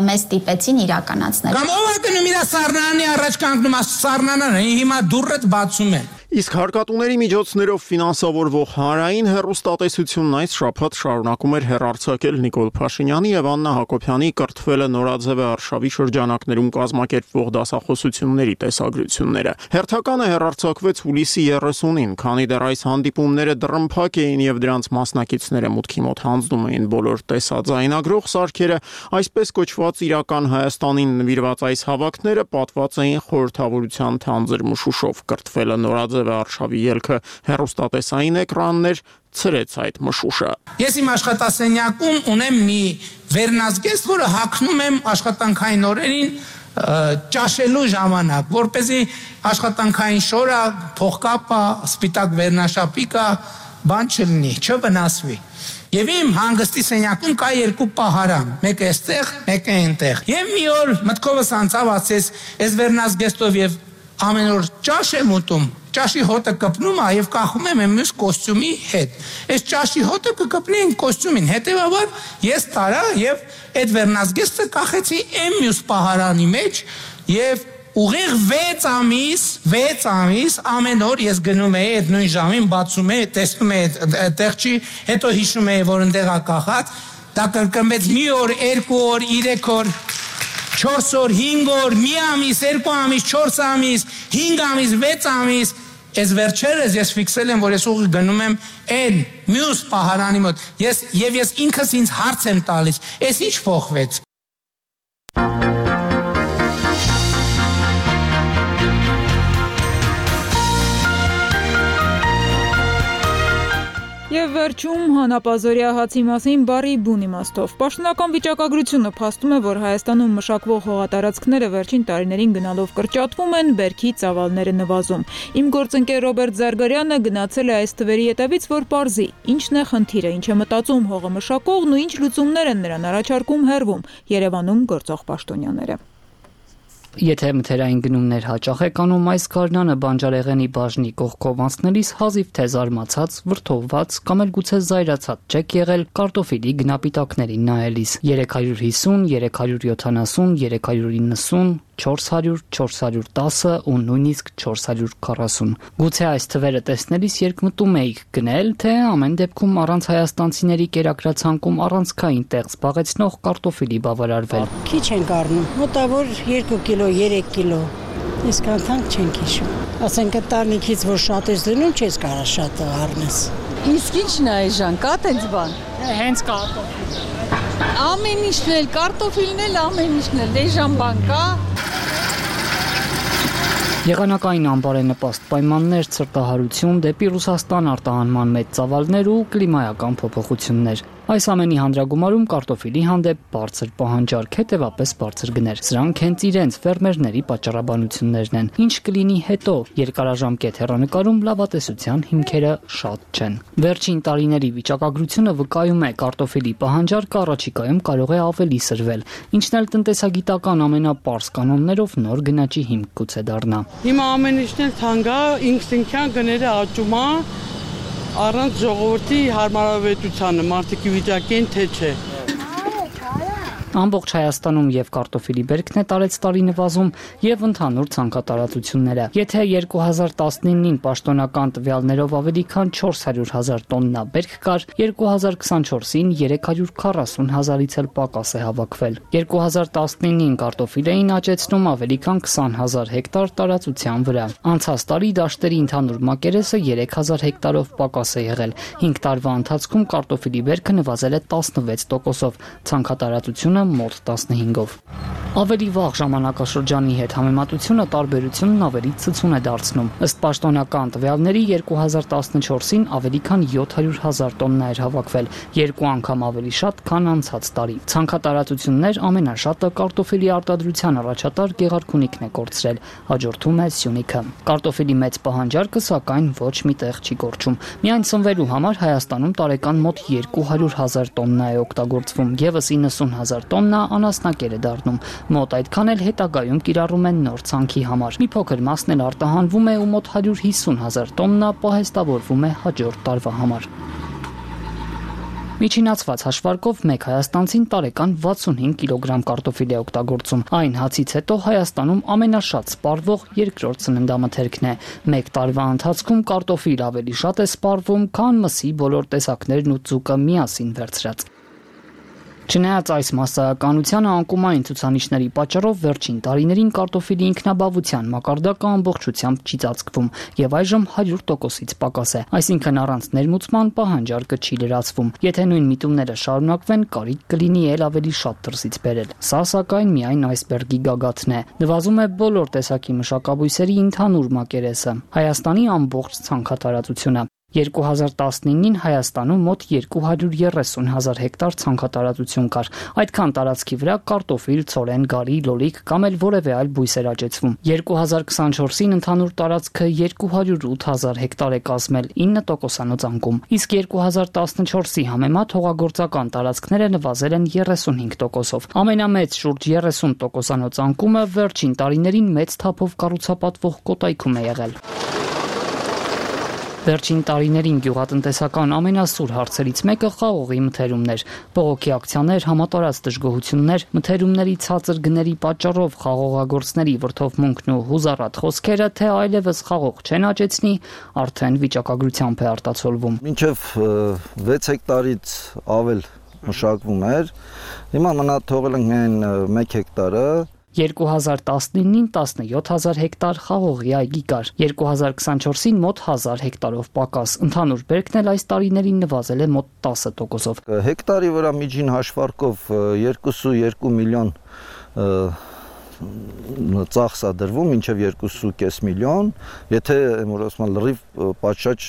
S10: մեզ ստիպեցին իրականացնել։
S12: Կամ ով է գնում իր սառնանի առաջ կանգնում, սառնանը հիմա դուռը բացում է։
S20: Իսկ հարկատուների միջոցներով ֆինանսավորվող հանրային հեռուստատեսությունն այս շաբաթ շարունակում էր հեռարձակել Նիկոլ Փաշինյանի եւ Աննա Հակոբյանի կրթվելը նորաձևը արշավի շրջանակներում կազմակերպվող դասախոսությունների տեսագրությունները։ Հերթականը հեռարձակվեց հուլիսի 30-ին, քանի դեռ այս հանդիպումները դռնփակ էին եւ դրանց մասնակիցները մուտքի մոտ հանձնում էին բոլոր տեսաձայնագրող սարքերը, այսպես կոչված իրական Հայաստանին նվիրված այս հավաքները պատված էին խորհրդավորության թանձր մշուշով։ Կրթվելը նորաձև արշավի ելքը հեռուստատեսային էկրաններ ցրեց այդ մշուշը։
S12: Ես իմ աշխատասենյակում ունեմ մի վերնազգեստ, որը հագնում եմ աշխատանքային օրերին ճաշելու ժամանակ, որպեսզի աշխատանքային շորը, փողկապը, սպիտակ վերնաշապիկը բան չլինի, չվնասվի։ Եվ իմ հանգստի սենյակում կա երկու պահարան, մեկը այստեղ, մեկը այնտեղ։ Եվ մի օր մտքովս անցավ, ասես, ես վերնազգեստով եւ ամեն օր ճաշ եմ ուտում, ճաշի հոտը կպնում է եւ կախում եմ մյուս կոստյումի հետ։ Այս ճաշի հոտը կկպնեին կոստյումին, հետեւաբար ես տարա եւ այդ վերնազգեստը կախեցի այն մյուս պահարանի մեջ եւ ուղիղ 6 ամիս ամեն օր ես գնում էի այդ նույն ժամին, բացում էի, տեսնում էի այդտեղ չի, հետո հիշում էի, որ ընդեղ է կախած, դա կրկնվեց մի օր, 2 օր, 3 օր, 4 օր, 5 օր, մի ամիս, 2 ամիս, 4 ամիս, 5 ամիս, 6 ամիս, այս վերջերս ես ֆիքսել եմ, որ ես ուղիղ գնում եմ այն մյուս պահարանի մոտ, ես ինքս ինձ հարց եմ տալիս, այս ինչ փոխվեց։
S1: Եվ վերջում հանապազորյա հացի մասին բառի բուն իմաստով։ Պաշտոնական վիճակագրությունը փաստում է, որ Հայաստանում մշակվող հողատարածքները վերջին տարիներին գնալով կրճատվում են, բերքի ծավալները նվազում։ Իմ գործընկեր Ռոբերտ Զարգարյանը գնացել է այս թվերի հետևից, որ պարզի, ինչն է խնդիրը, ինչ է մտածում հողը մշակողն ու ինչ լուծումներ են նրան առաջարկում հեռվում Երևանում գործող պաշտոնյաները։
S25: Եթե մթերային գնումներ հաճախ եք անում, այս գարնանը բանջարեղենի բաժնի կողքով անցնելիս հազիվ թե զարմացած, վրդովված կամ էլ գուցե զայրացած չեք եղել կարտոֆիլի գնապիտակներին նայելիս 350, 370, 390, 400, 410 ու նույնիսկ 440։ Գուցե այս թվերը տեսնելիս երկմտում էիք գնել, թե ամեն դեպքում առանց հայաստանցիների կերակրացանկում առանցքային տեղ զբաղեցնող կարտոֆիլի բավարարվել։
S11: Քիչ ենք առնում, մոտավոր 2 կիլո, 3 կիլո, իսկ անթանք չենք հիշում։ Ասենք տանիքից, որ շատ ես դնում, չես կարող շատ առնես։
S14: Իսկ ի՞նչն է այժմ, կա տենց բան։
S11: Հենց կարտոֆիլ։
S14: Ամեն ինչն էլ, կարտոֆիլն էլ, ամեն ինչն էլ, դեժան բան կա։
S25: Եղանակային անբարենպաստ պայմաններ, ցրտահարություն, դեպի Ռուսաստան արտահանման մեծ ծավալներ ու կլիմայական փոփոխություններ։ Այս ամենի հանդրագումարում կարտոֆիլի հանդեպ բարձր պահանջարկ, հետևապես բարձր գներ։ Սրանք հենց իրենց ֆերմերների պատճառաբանություններն են։ Ինչ կլինի հետո, երկարաժամկետ հեռանկարում լավատեսության հիմքերը շատ չեն։ Վերջին տարիների վիճակագրությունը վկայում է կարտոֆիլի պահանջարկը առաջիկայում կարող է ավելի սրվել, ինչն էլ տնտեսագիտական ամենապարզ կանոններով նոր գնաճի հիմք գուցե դառնա։
S14: Հիմա ամեն ինչն էլ թանկ է, ինքնին գները աճում է, առանց ժողովրդի հարմարավետությանը, մարդիկի վիճակին թե չէ։
S25: Ամբողջ Հայաստանում եւ կարտոֆիլի բերքն է տարեց տարի նվազում եւ ընդհանուր ցանկատարածությունները։ Եթե 2019-ին պաշտոնական տվյալներով ավելի քան 400,000 տոննա բերք կար, 2024-ին 340,000-ից էլ պակաս է հավաքվել։ 2019-ին կարտոֆիլ էին աճեցնում ավելի քան 20,000 հեկտար տարածության վրա։ Անցած տարի դաշտերի ընդհանուր մակերեսը 3,000 հեկտարով պակաս է եղել։ 5 տարվա ընթացքում կարտոֆիլի բերքը նվազել է 16%-ով, ցանկատարածությունը մոտ 15-ով։ Ավելի վաղ ժամանակաշրջանի հետ համեմատությունը տարբերությունն ավելի ցցուն է դարձնում։ Ըստ պաշտոնական տվյալների 2014-ին ավելի քան 700,000 տոննա էր հավաքվել, 2 անգամ ավելի շատ, քան անցած տարի։ Ցանկատարածություններ ամենաշատը կարտոֆիլի արտադրության առաջատար Գեղարքունիքն է կորցրել, հաջորդում է Սյունիքը։ Կարտոֆիլի մեծ պահանջարկը սակայն ոչ մի տեղ չի կորչում։ Միայն սնվելու համար Հայաստանում տարեկան մոտ 200,000 տոննա է օգտագործվում, եւս 90,000 տոննա անասնակեր է դառնում։ Մոտ այդքան էլ հետագայում կիրառում են նոր ցանքի համար։ Մի փոքր մասն էլ արտահանվում է ու մոտ 150,000 տոննա պահեստավորվում է հաջորդ տարվա համար։ Միջինացված հաշվարկով մեկ հայաստանցին տարեկան 65 կիլոգրամ կարտոֆիլ է օգտագործում։ Այն հացից հետո Հայաստանում ամենաշատ սպառվող երկրորդ սննդամթերքն է։ Մեկ տարվա ընթացքում կարտոֆիլ ավելի շատ է սպառվում, քան մսի բոլոր տեսակներն ու ձուկը միասին վերցրած։ Չնայած այս մասսայականությանը անկումային ցուցանիշների պատճառով վերջին տարիներին կարտոֆիլի ինքնաբավության մակարդակը ամբողջությամբ չի ծածկվում եւ այժմ 100%-ից պակաս է, այսինքն առանց ներմուծման պահանջարկը չի լրացվում։ Եթե նույն միտումները շարունակվեն, կարիք կլինի ել ավելի շատ դրսից բերել։ Սա սակայն միայն այսբերգի գագաթն է։ Նվազում է բոլոր տեսակի մշակաբույսերի ընդհանուր մակերեսը, Հայաստանի ամբողջ ցանքատարածությունը։ 2019-ին Հայաստանում մոտ 230,000 հեկտար ցանքատարածություն կար։ Այդքան տարածքի վրա կարտոֆիլ, ցորեն, գարի, լոլիկ կամ էլ որևէ այլ բույս էր աճեցվում։ 2024-ին ընդհանուր տարածքը 208,000 հեկտար է կազմել 9%-անոց անկում, իսկ 2014-ի համեմատ հողագործական տարածքները նվազել են 35%-ով։ Ամենամեծ շուրջ 30%-անոց անկումը վերջին տարիներին մեծ թափով կառուցապատվող Կոտայքում է եղել։ Վերջին տարիներին գյուղատնտեսական ամենասուր հարցերից մեկը խաղողի մթերումներ, բողոքի ակցիաներ, համատարած դժգոհություններ, մթերումների ցածր գների պատճառով խաղողագործների վրդովմունքն ու հուզառատ խոսքերը, թե այլևս խաղող չեն աճեցնի, արդեն վիճակագրությամբ է արտացոլվում։
S4: Մինչև 6 հեկտարից ավել մշակվում էր, հիմա մնա թողել ենք միայն 1 հեկտարը։
S25: 2019-ին 17,000 հեկտար խաղողի այգի կար, 2024-ին մոտ 1000 հեկտարով պակաս, ընդհանուր բերքն էլ այս տարիներին նվազել է մոտ 10%-ով։
S4: Հեկտարի վրա միջին հաշվարկով 2.2 միլիոն ծախս է դրվում, մինչև 2.5 միլիոն, եթե լրիվ պատշաճ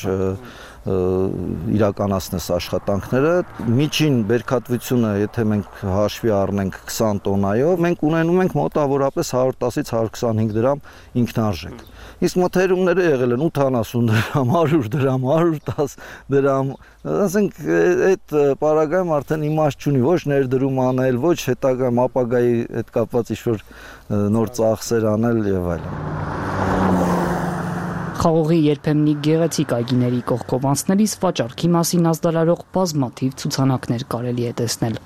S4: իրականացնես աշխատանքները, միջին բերքատվությունը, եթե մենք հաշվի առնենք 20 տոննայով, մենք ունենում ենք մոտավորապես 110-ից 125 դրամ ինքնարժեք։ Իսկ մթերումները եղել են 80 դրամ, 100 դրամ, 110 դրամ, ասենք այդ պարագայում արդեն իմաստ չունի ոչ ներդրում անել, ոչ հետագայում ապագայի հետ կապված ինչ-որ նոր ծախսեր անել եւ այլն։
S25: Խաղողի երբեմնի գեղեցիկ այգիների կողքով անցնելիս վաճառքի մասին ազդարարող բազմաթիվ ցուցանակներ կարելի է տեսնել։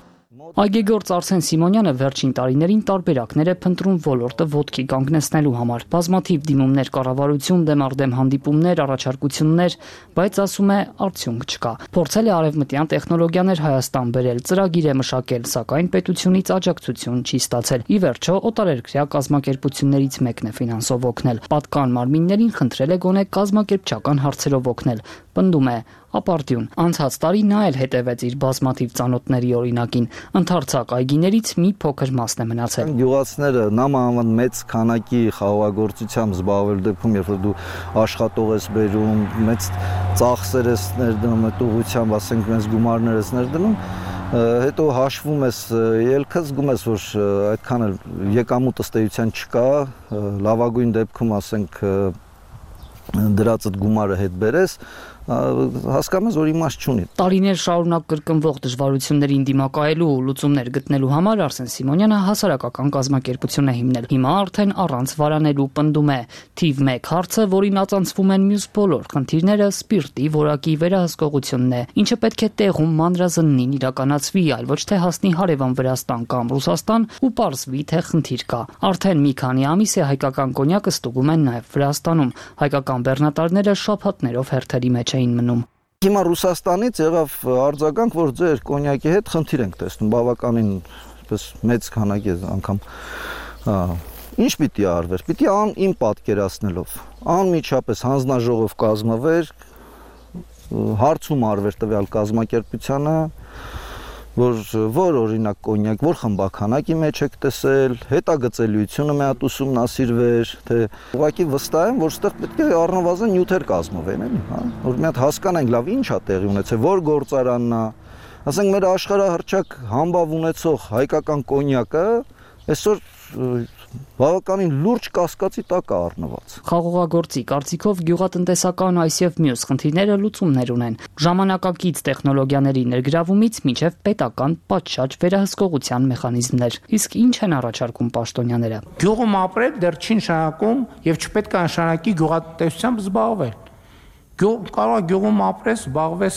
S25: Այգեգործ Արսեն Սիմոնյանը վերջին տարիներին տարբերակներ է փնտրում ոլորտը ոտքի կանգնեցնելու համար։ Բազմաթիվ դիմումներ, կառավարություն դեմ արդեմ հանդիպումներ, առաջարկություններ, բայց ասում է արդյունք չկա։ Փորձել է արևմտյան տեխնոլոգիաներ Հայաստան բերել, ծրագիր է մշակել, սակայն պետությունից աջակցություն չի ստացել։ Ի վերջո օտարերկրյա կազմակերպություններից մեկն է ֆինանսով օգնել։ Պատկան մարմիններին խնդրել է գոնե կազմակերպչական հարցերով օգնել։ Պնդում է ապարտյուն։ Անցած տարի նա էլ հետևեց իր բազմաթիվ ծանոթների օրինակին։ Ընդարձակ այգիներից մի փոքր մասն է մնացել։
S4: Գյուղացիները նամանավանդ մեծ քանակի խաղողագործությամբ զբաղվելու դեպքում, երբ որ դու աշխատող ես բերում, մեծ ծախսեր ես ներդնում, այդ ուղղությամբ, ասենք, մեծ գումարներ ես ներդնում, հետո հաշվում ես ելքը, զգում ես, որ այդքան էլ եկամուտ ըստ էության չկա, լավագույն դեպքում, ասենք, դրածդ գումարը հետ բերես, հասկանում ես, որ իմաստ չունի։
S25: Տարիներ շարունակ կրկնվող դժվարություններին դիմակայելու ու լուծումներ գտնելու համար Արսեն Սիմոնյանը հասարակական կազմակերպություն է հիմնել։ Հիմա արդեն առանց վարանելու պնդում է թիվ 1 հարցը, որին ածանցվում են մյուս բոլոր խնդիրները, սպիրտի որակի վերահսկողությունն է, ինչը պետք է տեղում մանրազննին իրականացվի, այլ ոչ թե հասնի հարևան Վրաստան կամ Ռուսաստան ու պարզվի, թե խնդիր կա։ Արդեն մի քանի ամիս է հայկական կոնյակը ստուգում են նաև Վրաստանում։ Հայկական բեռնատարները շաբաթներով հերթերի մեջ էին մնում։
S4: Հիմա Ռուսաստանից եղավ արձագանք, որ ձեր կոնյակի հետ խնդիր ենք տեսնում, բավականին մեծ քանակի անգամ։ Ինչ պիտի արվեր։ Պիտի իմ պատկերացնելով անմիջապես հանձնաժողով կազմվեր, հարցում արվեր տվյալ կազմակերպությանը, որ օրինակ կոնյակ, որ խմբականակի մեջ եք տեսել, հետագծելիությունը մի հատ ուսումնասիրվեր, թե ուղղակի վստահ եմ, որ ստեղ պետք է առնվազն նյութեր կազմվեն, էլի, հա, որ մի հատ հասկանանք լավ ինչ է տեղի ունեցել, որ գործարանն է, ասենք մեր աշխարհահռչակ համբավ ունեցող հայկական կոնյակը այսօր բավականին լուրջ կասկածի տակ է առնված։
S25: Խաղողագործի կարծիքով գյուղատնտեսական այս եւ մյուս խնդիրները լուծումներ ունեն։ Ժամանակակից տեխնոլոգիաների ներգրավումից մինչև պետական պատշաճ վերահսկողության մեխանիզմներ։ Իսկ ինչ են առաջարկում պաշտոնյաները։
S12: Գյուղում ապրել դեռ չի նշանակում եւ չպետք է նշանակի գյուղատնտեսությամբ զբաղվել։ Կարող է գյուղում ապրես, զբաղվես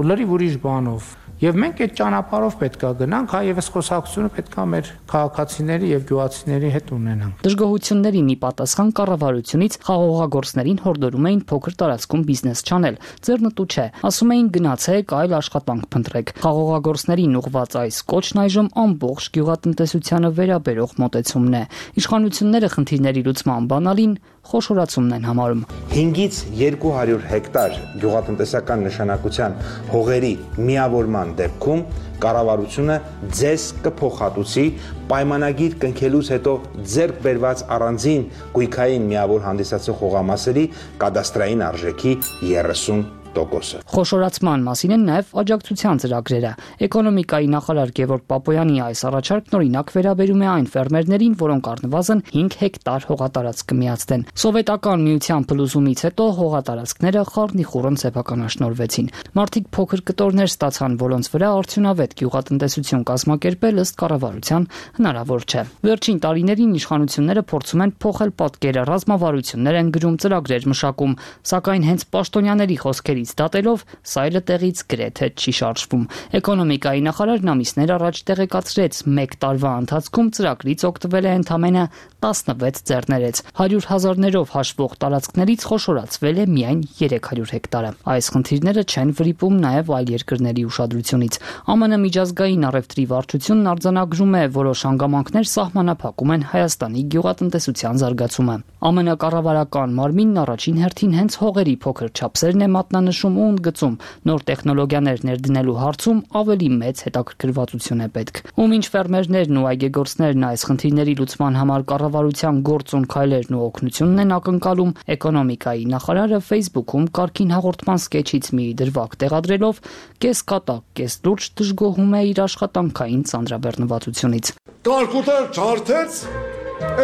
S12: լրիվ ուրիշ բանով։ Եվ մենք այդ ճանապարհով պետք է գնանք, հա, եւ այս խոսակցությունը պետք է մեր քաղաքացիների եւ գյուղացիների հետ ունենանք։
S25: Դժգոհություններին ի պատասխան կառավարությունից խաղողագործներին հորդորում էին փոքր տարածքում բիզնես չանել։ Ձեռնտու չէ, ասում էին գնացեք այլ աշխատանք փնտրեք։ Խաղողագործներին ուղղված այս կոչն այժմ ամբողջ գյուղատնտեսությանը վերաբերող մոտեցումն է։ Իշխանությունները խնդիրների լուծման բանալին խոշորացումն են համարում։
S15: 5-ից 200 հեկտար գյուղատնտեսական նշանակության հողերի միավորման նման դեպքում կառավարությունը ձեզ կփոխհատուցի պայմանագիր կնքելուց հետո ձեռք բերված առանձին գույքային միավոր հանդիսացող հողամասերի կադաստրային արժեքի 30%.
S25: Խոշորացման մասին են նաև աջակցության ծրագրերը։ Էկոնոմիկայի նախարար Գևորգ Պապոյանի այս առաջարկն օրինակ վերաբերում է այն ֆերմերներին, որոնք առնվազն 5 հեկտար հողատարածք կմիացնեն։ Սովետական միության փլուզումից հետո հողատարածքները խառնիխուռն սեփականաշնորհվեցին։ Մարդիկ փոքր կտորներ ստացան, որոնց վրա արդյունավետ գյուղատնտեսություն կազմակերպել ըստ կառավարության հնարավոր չէ։ Վերջին տարիներին իշխանությունները փորձում են փոխել պատկերը, ռազմավարություններ են գրում, ծրագրեր մշակում, սակայն հենց պաշտոնյաների խոսքերի դատելով սայլը տեղից գրեթե չի շարժվում։ Էկոնոմիկայի նախարարն ամիսներ առաջ տեղեկացրեց 1 տարվա ընթացքում ծրագրից օգտվել է ընդամենը 16 ձեռներեց։ 100,000-ներով հաշվող տարածքներից խոշորացվել է միայն 300 հեկտարը։ Այս խնդիրները չեն վրիպում նաև այլ երկրների ուշադրությունից։ ԱՄՆ միջազգային առևտրի վարչությունն արձանագրում է, որոշ հանգամանքներ սահմանափակում են Հայաստանի գյուղատնտեսության զարգացումը։ ԱՄՆ կառավարական մարմինն առաջին հերթին հենց հողերի փոքր չափսերն է մատնանշում ու ընդգծում, նոր տեխնոլոգիաներ ներդնելու հարցում ավելի մեծ հետաքրքրվածություն է պետք։ Ումինչ ֆերմերներն ու այգեգործներն այս խնդիրների լուծման համար կառավարության գործուն քայլերն ու օգնությունն են ակնկալում, էկոնոմիկայի նախարարը Facebook-ում կարգին հաղորդման սկեչից մի դրվագ տեղադրելով կես կատակ, կես լուրջ դժգոհում է իր աշխատանքային ծանրաբեռնվածությունից։
S16: Կարկուտեր չարթեց,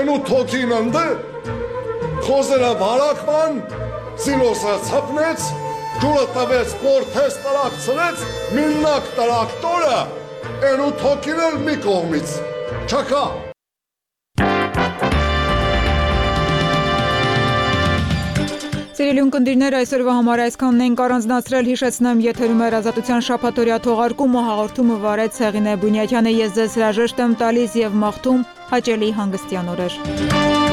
S16: են ու թոքին ընդը, խոզերը բարակման, սիլոսը ծապնեց, ջուրը տվեց, պորթես տրակցրեց, միննակ տրակտորը, են ու թոքին էլ մի կողմից, չակա։
S1: Սիրելի ունկնդիրներ, այսօրվա համար այսքանն ենք առանձնացրել, հիշեցնեմ, եթերում էր Ազատության շաբաթօրյա թողարկումը, հաղորդումը վարեց Հեղինե Բունյակյանը, ես ձեզ հրաժեշտ եմ տալիս եւ մաղթում հաճելի հանգստյան օրեր։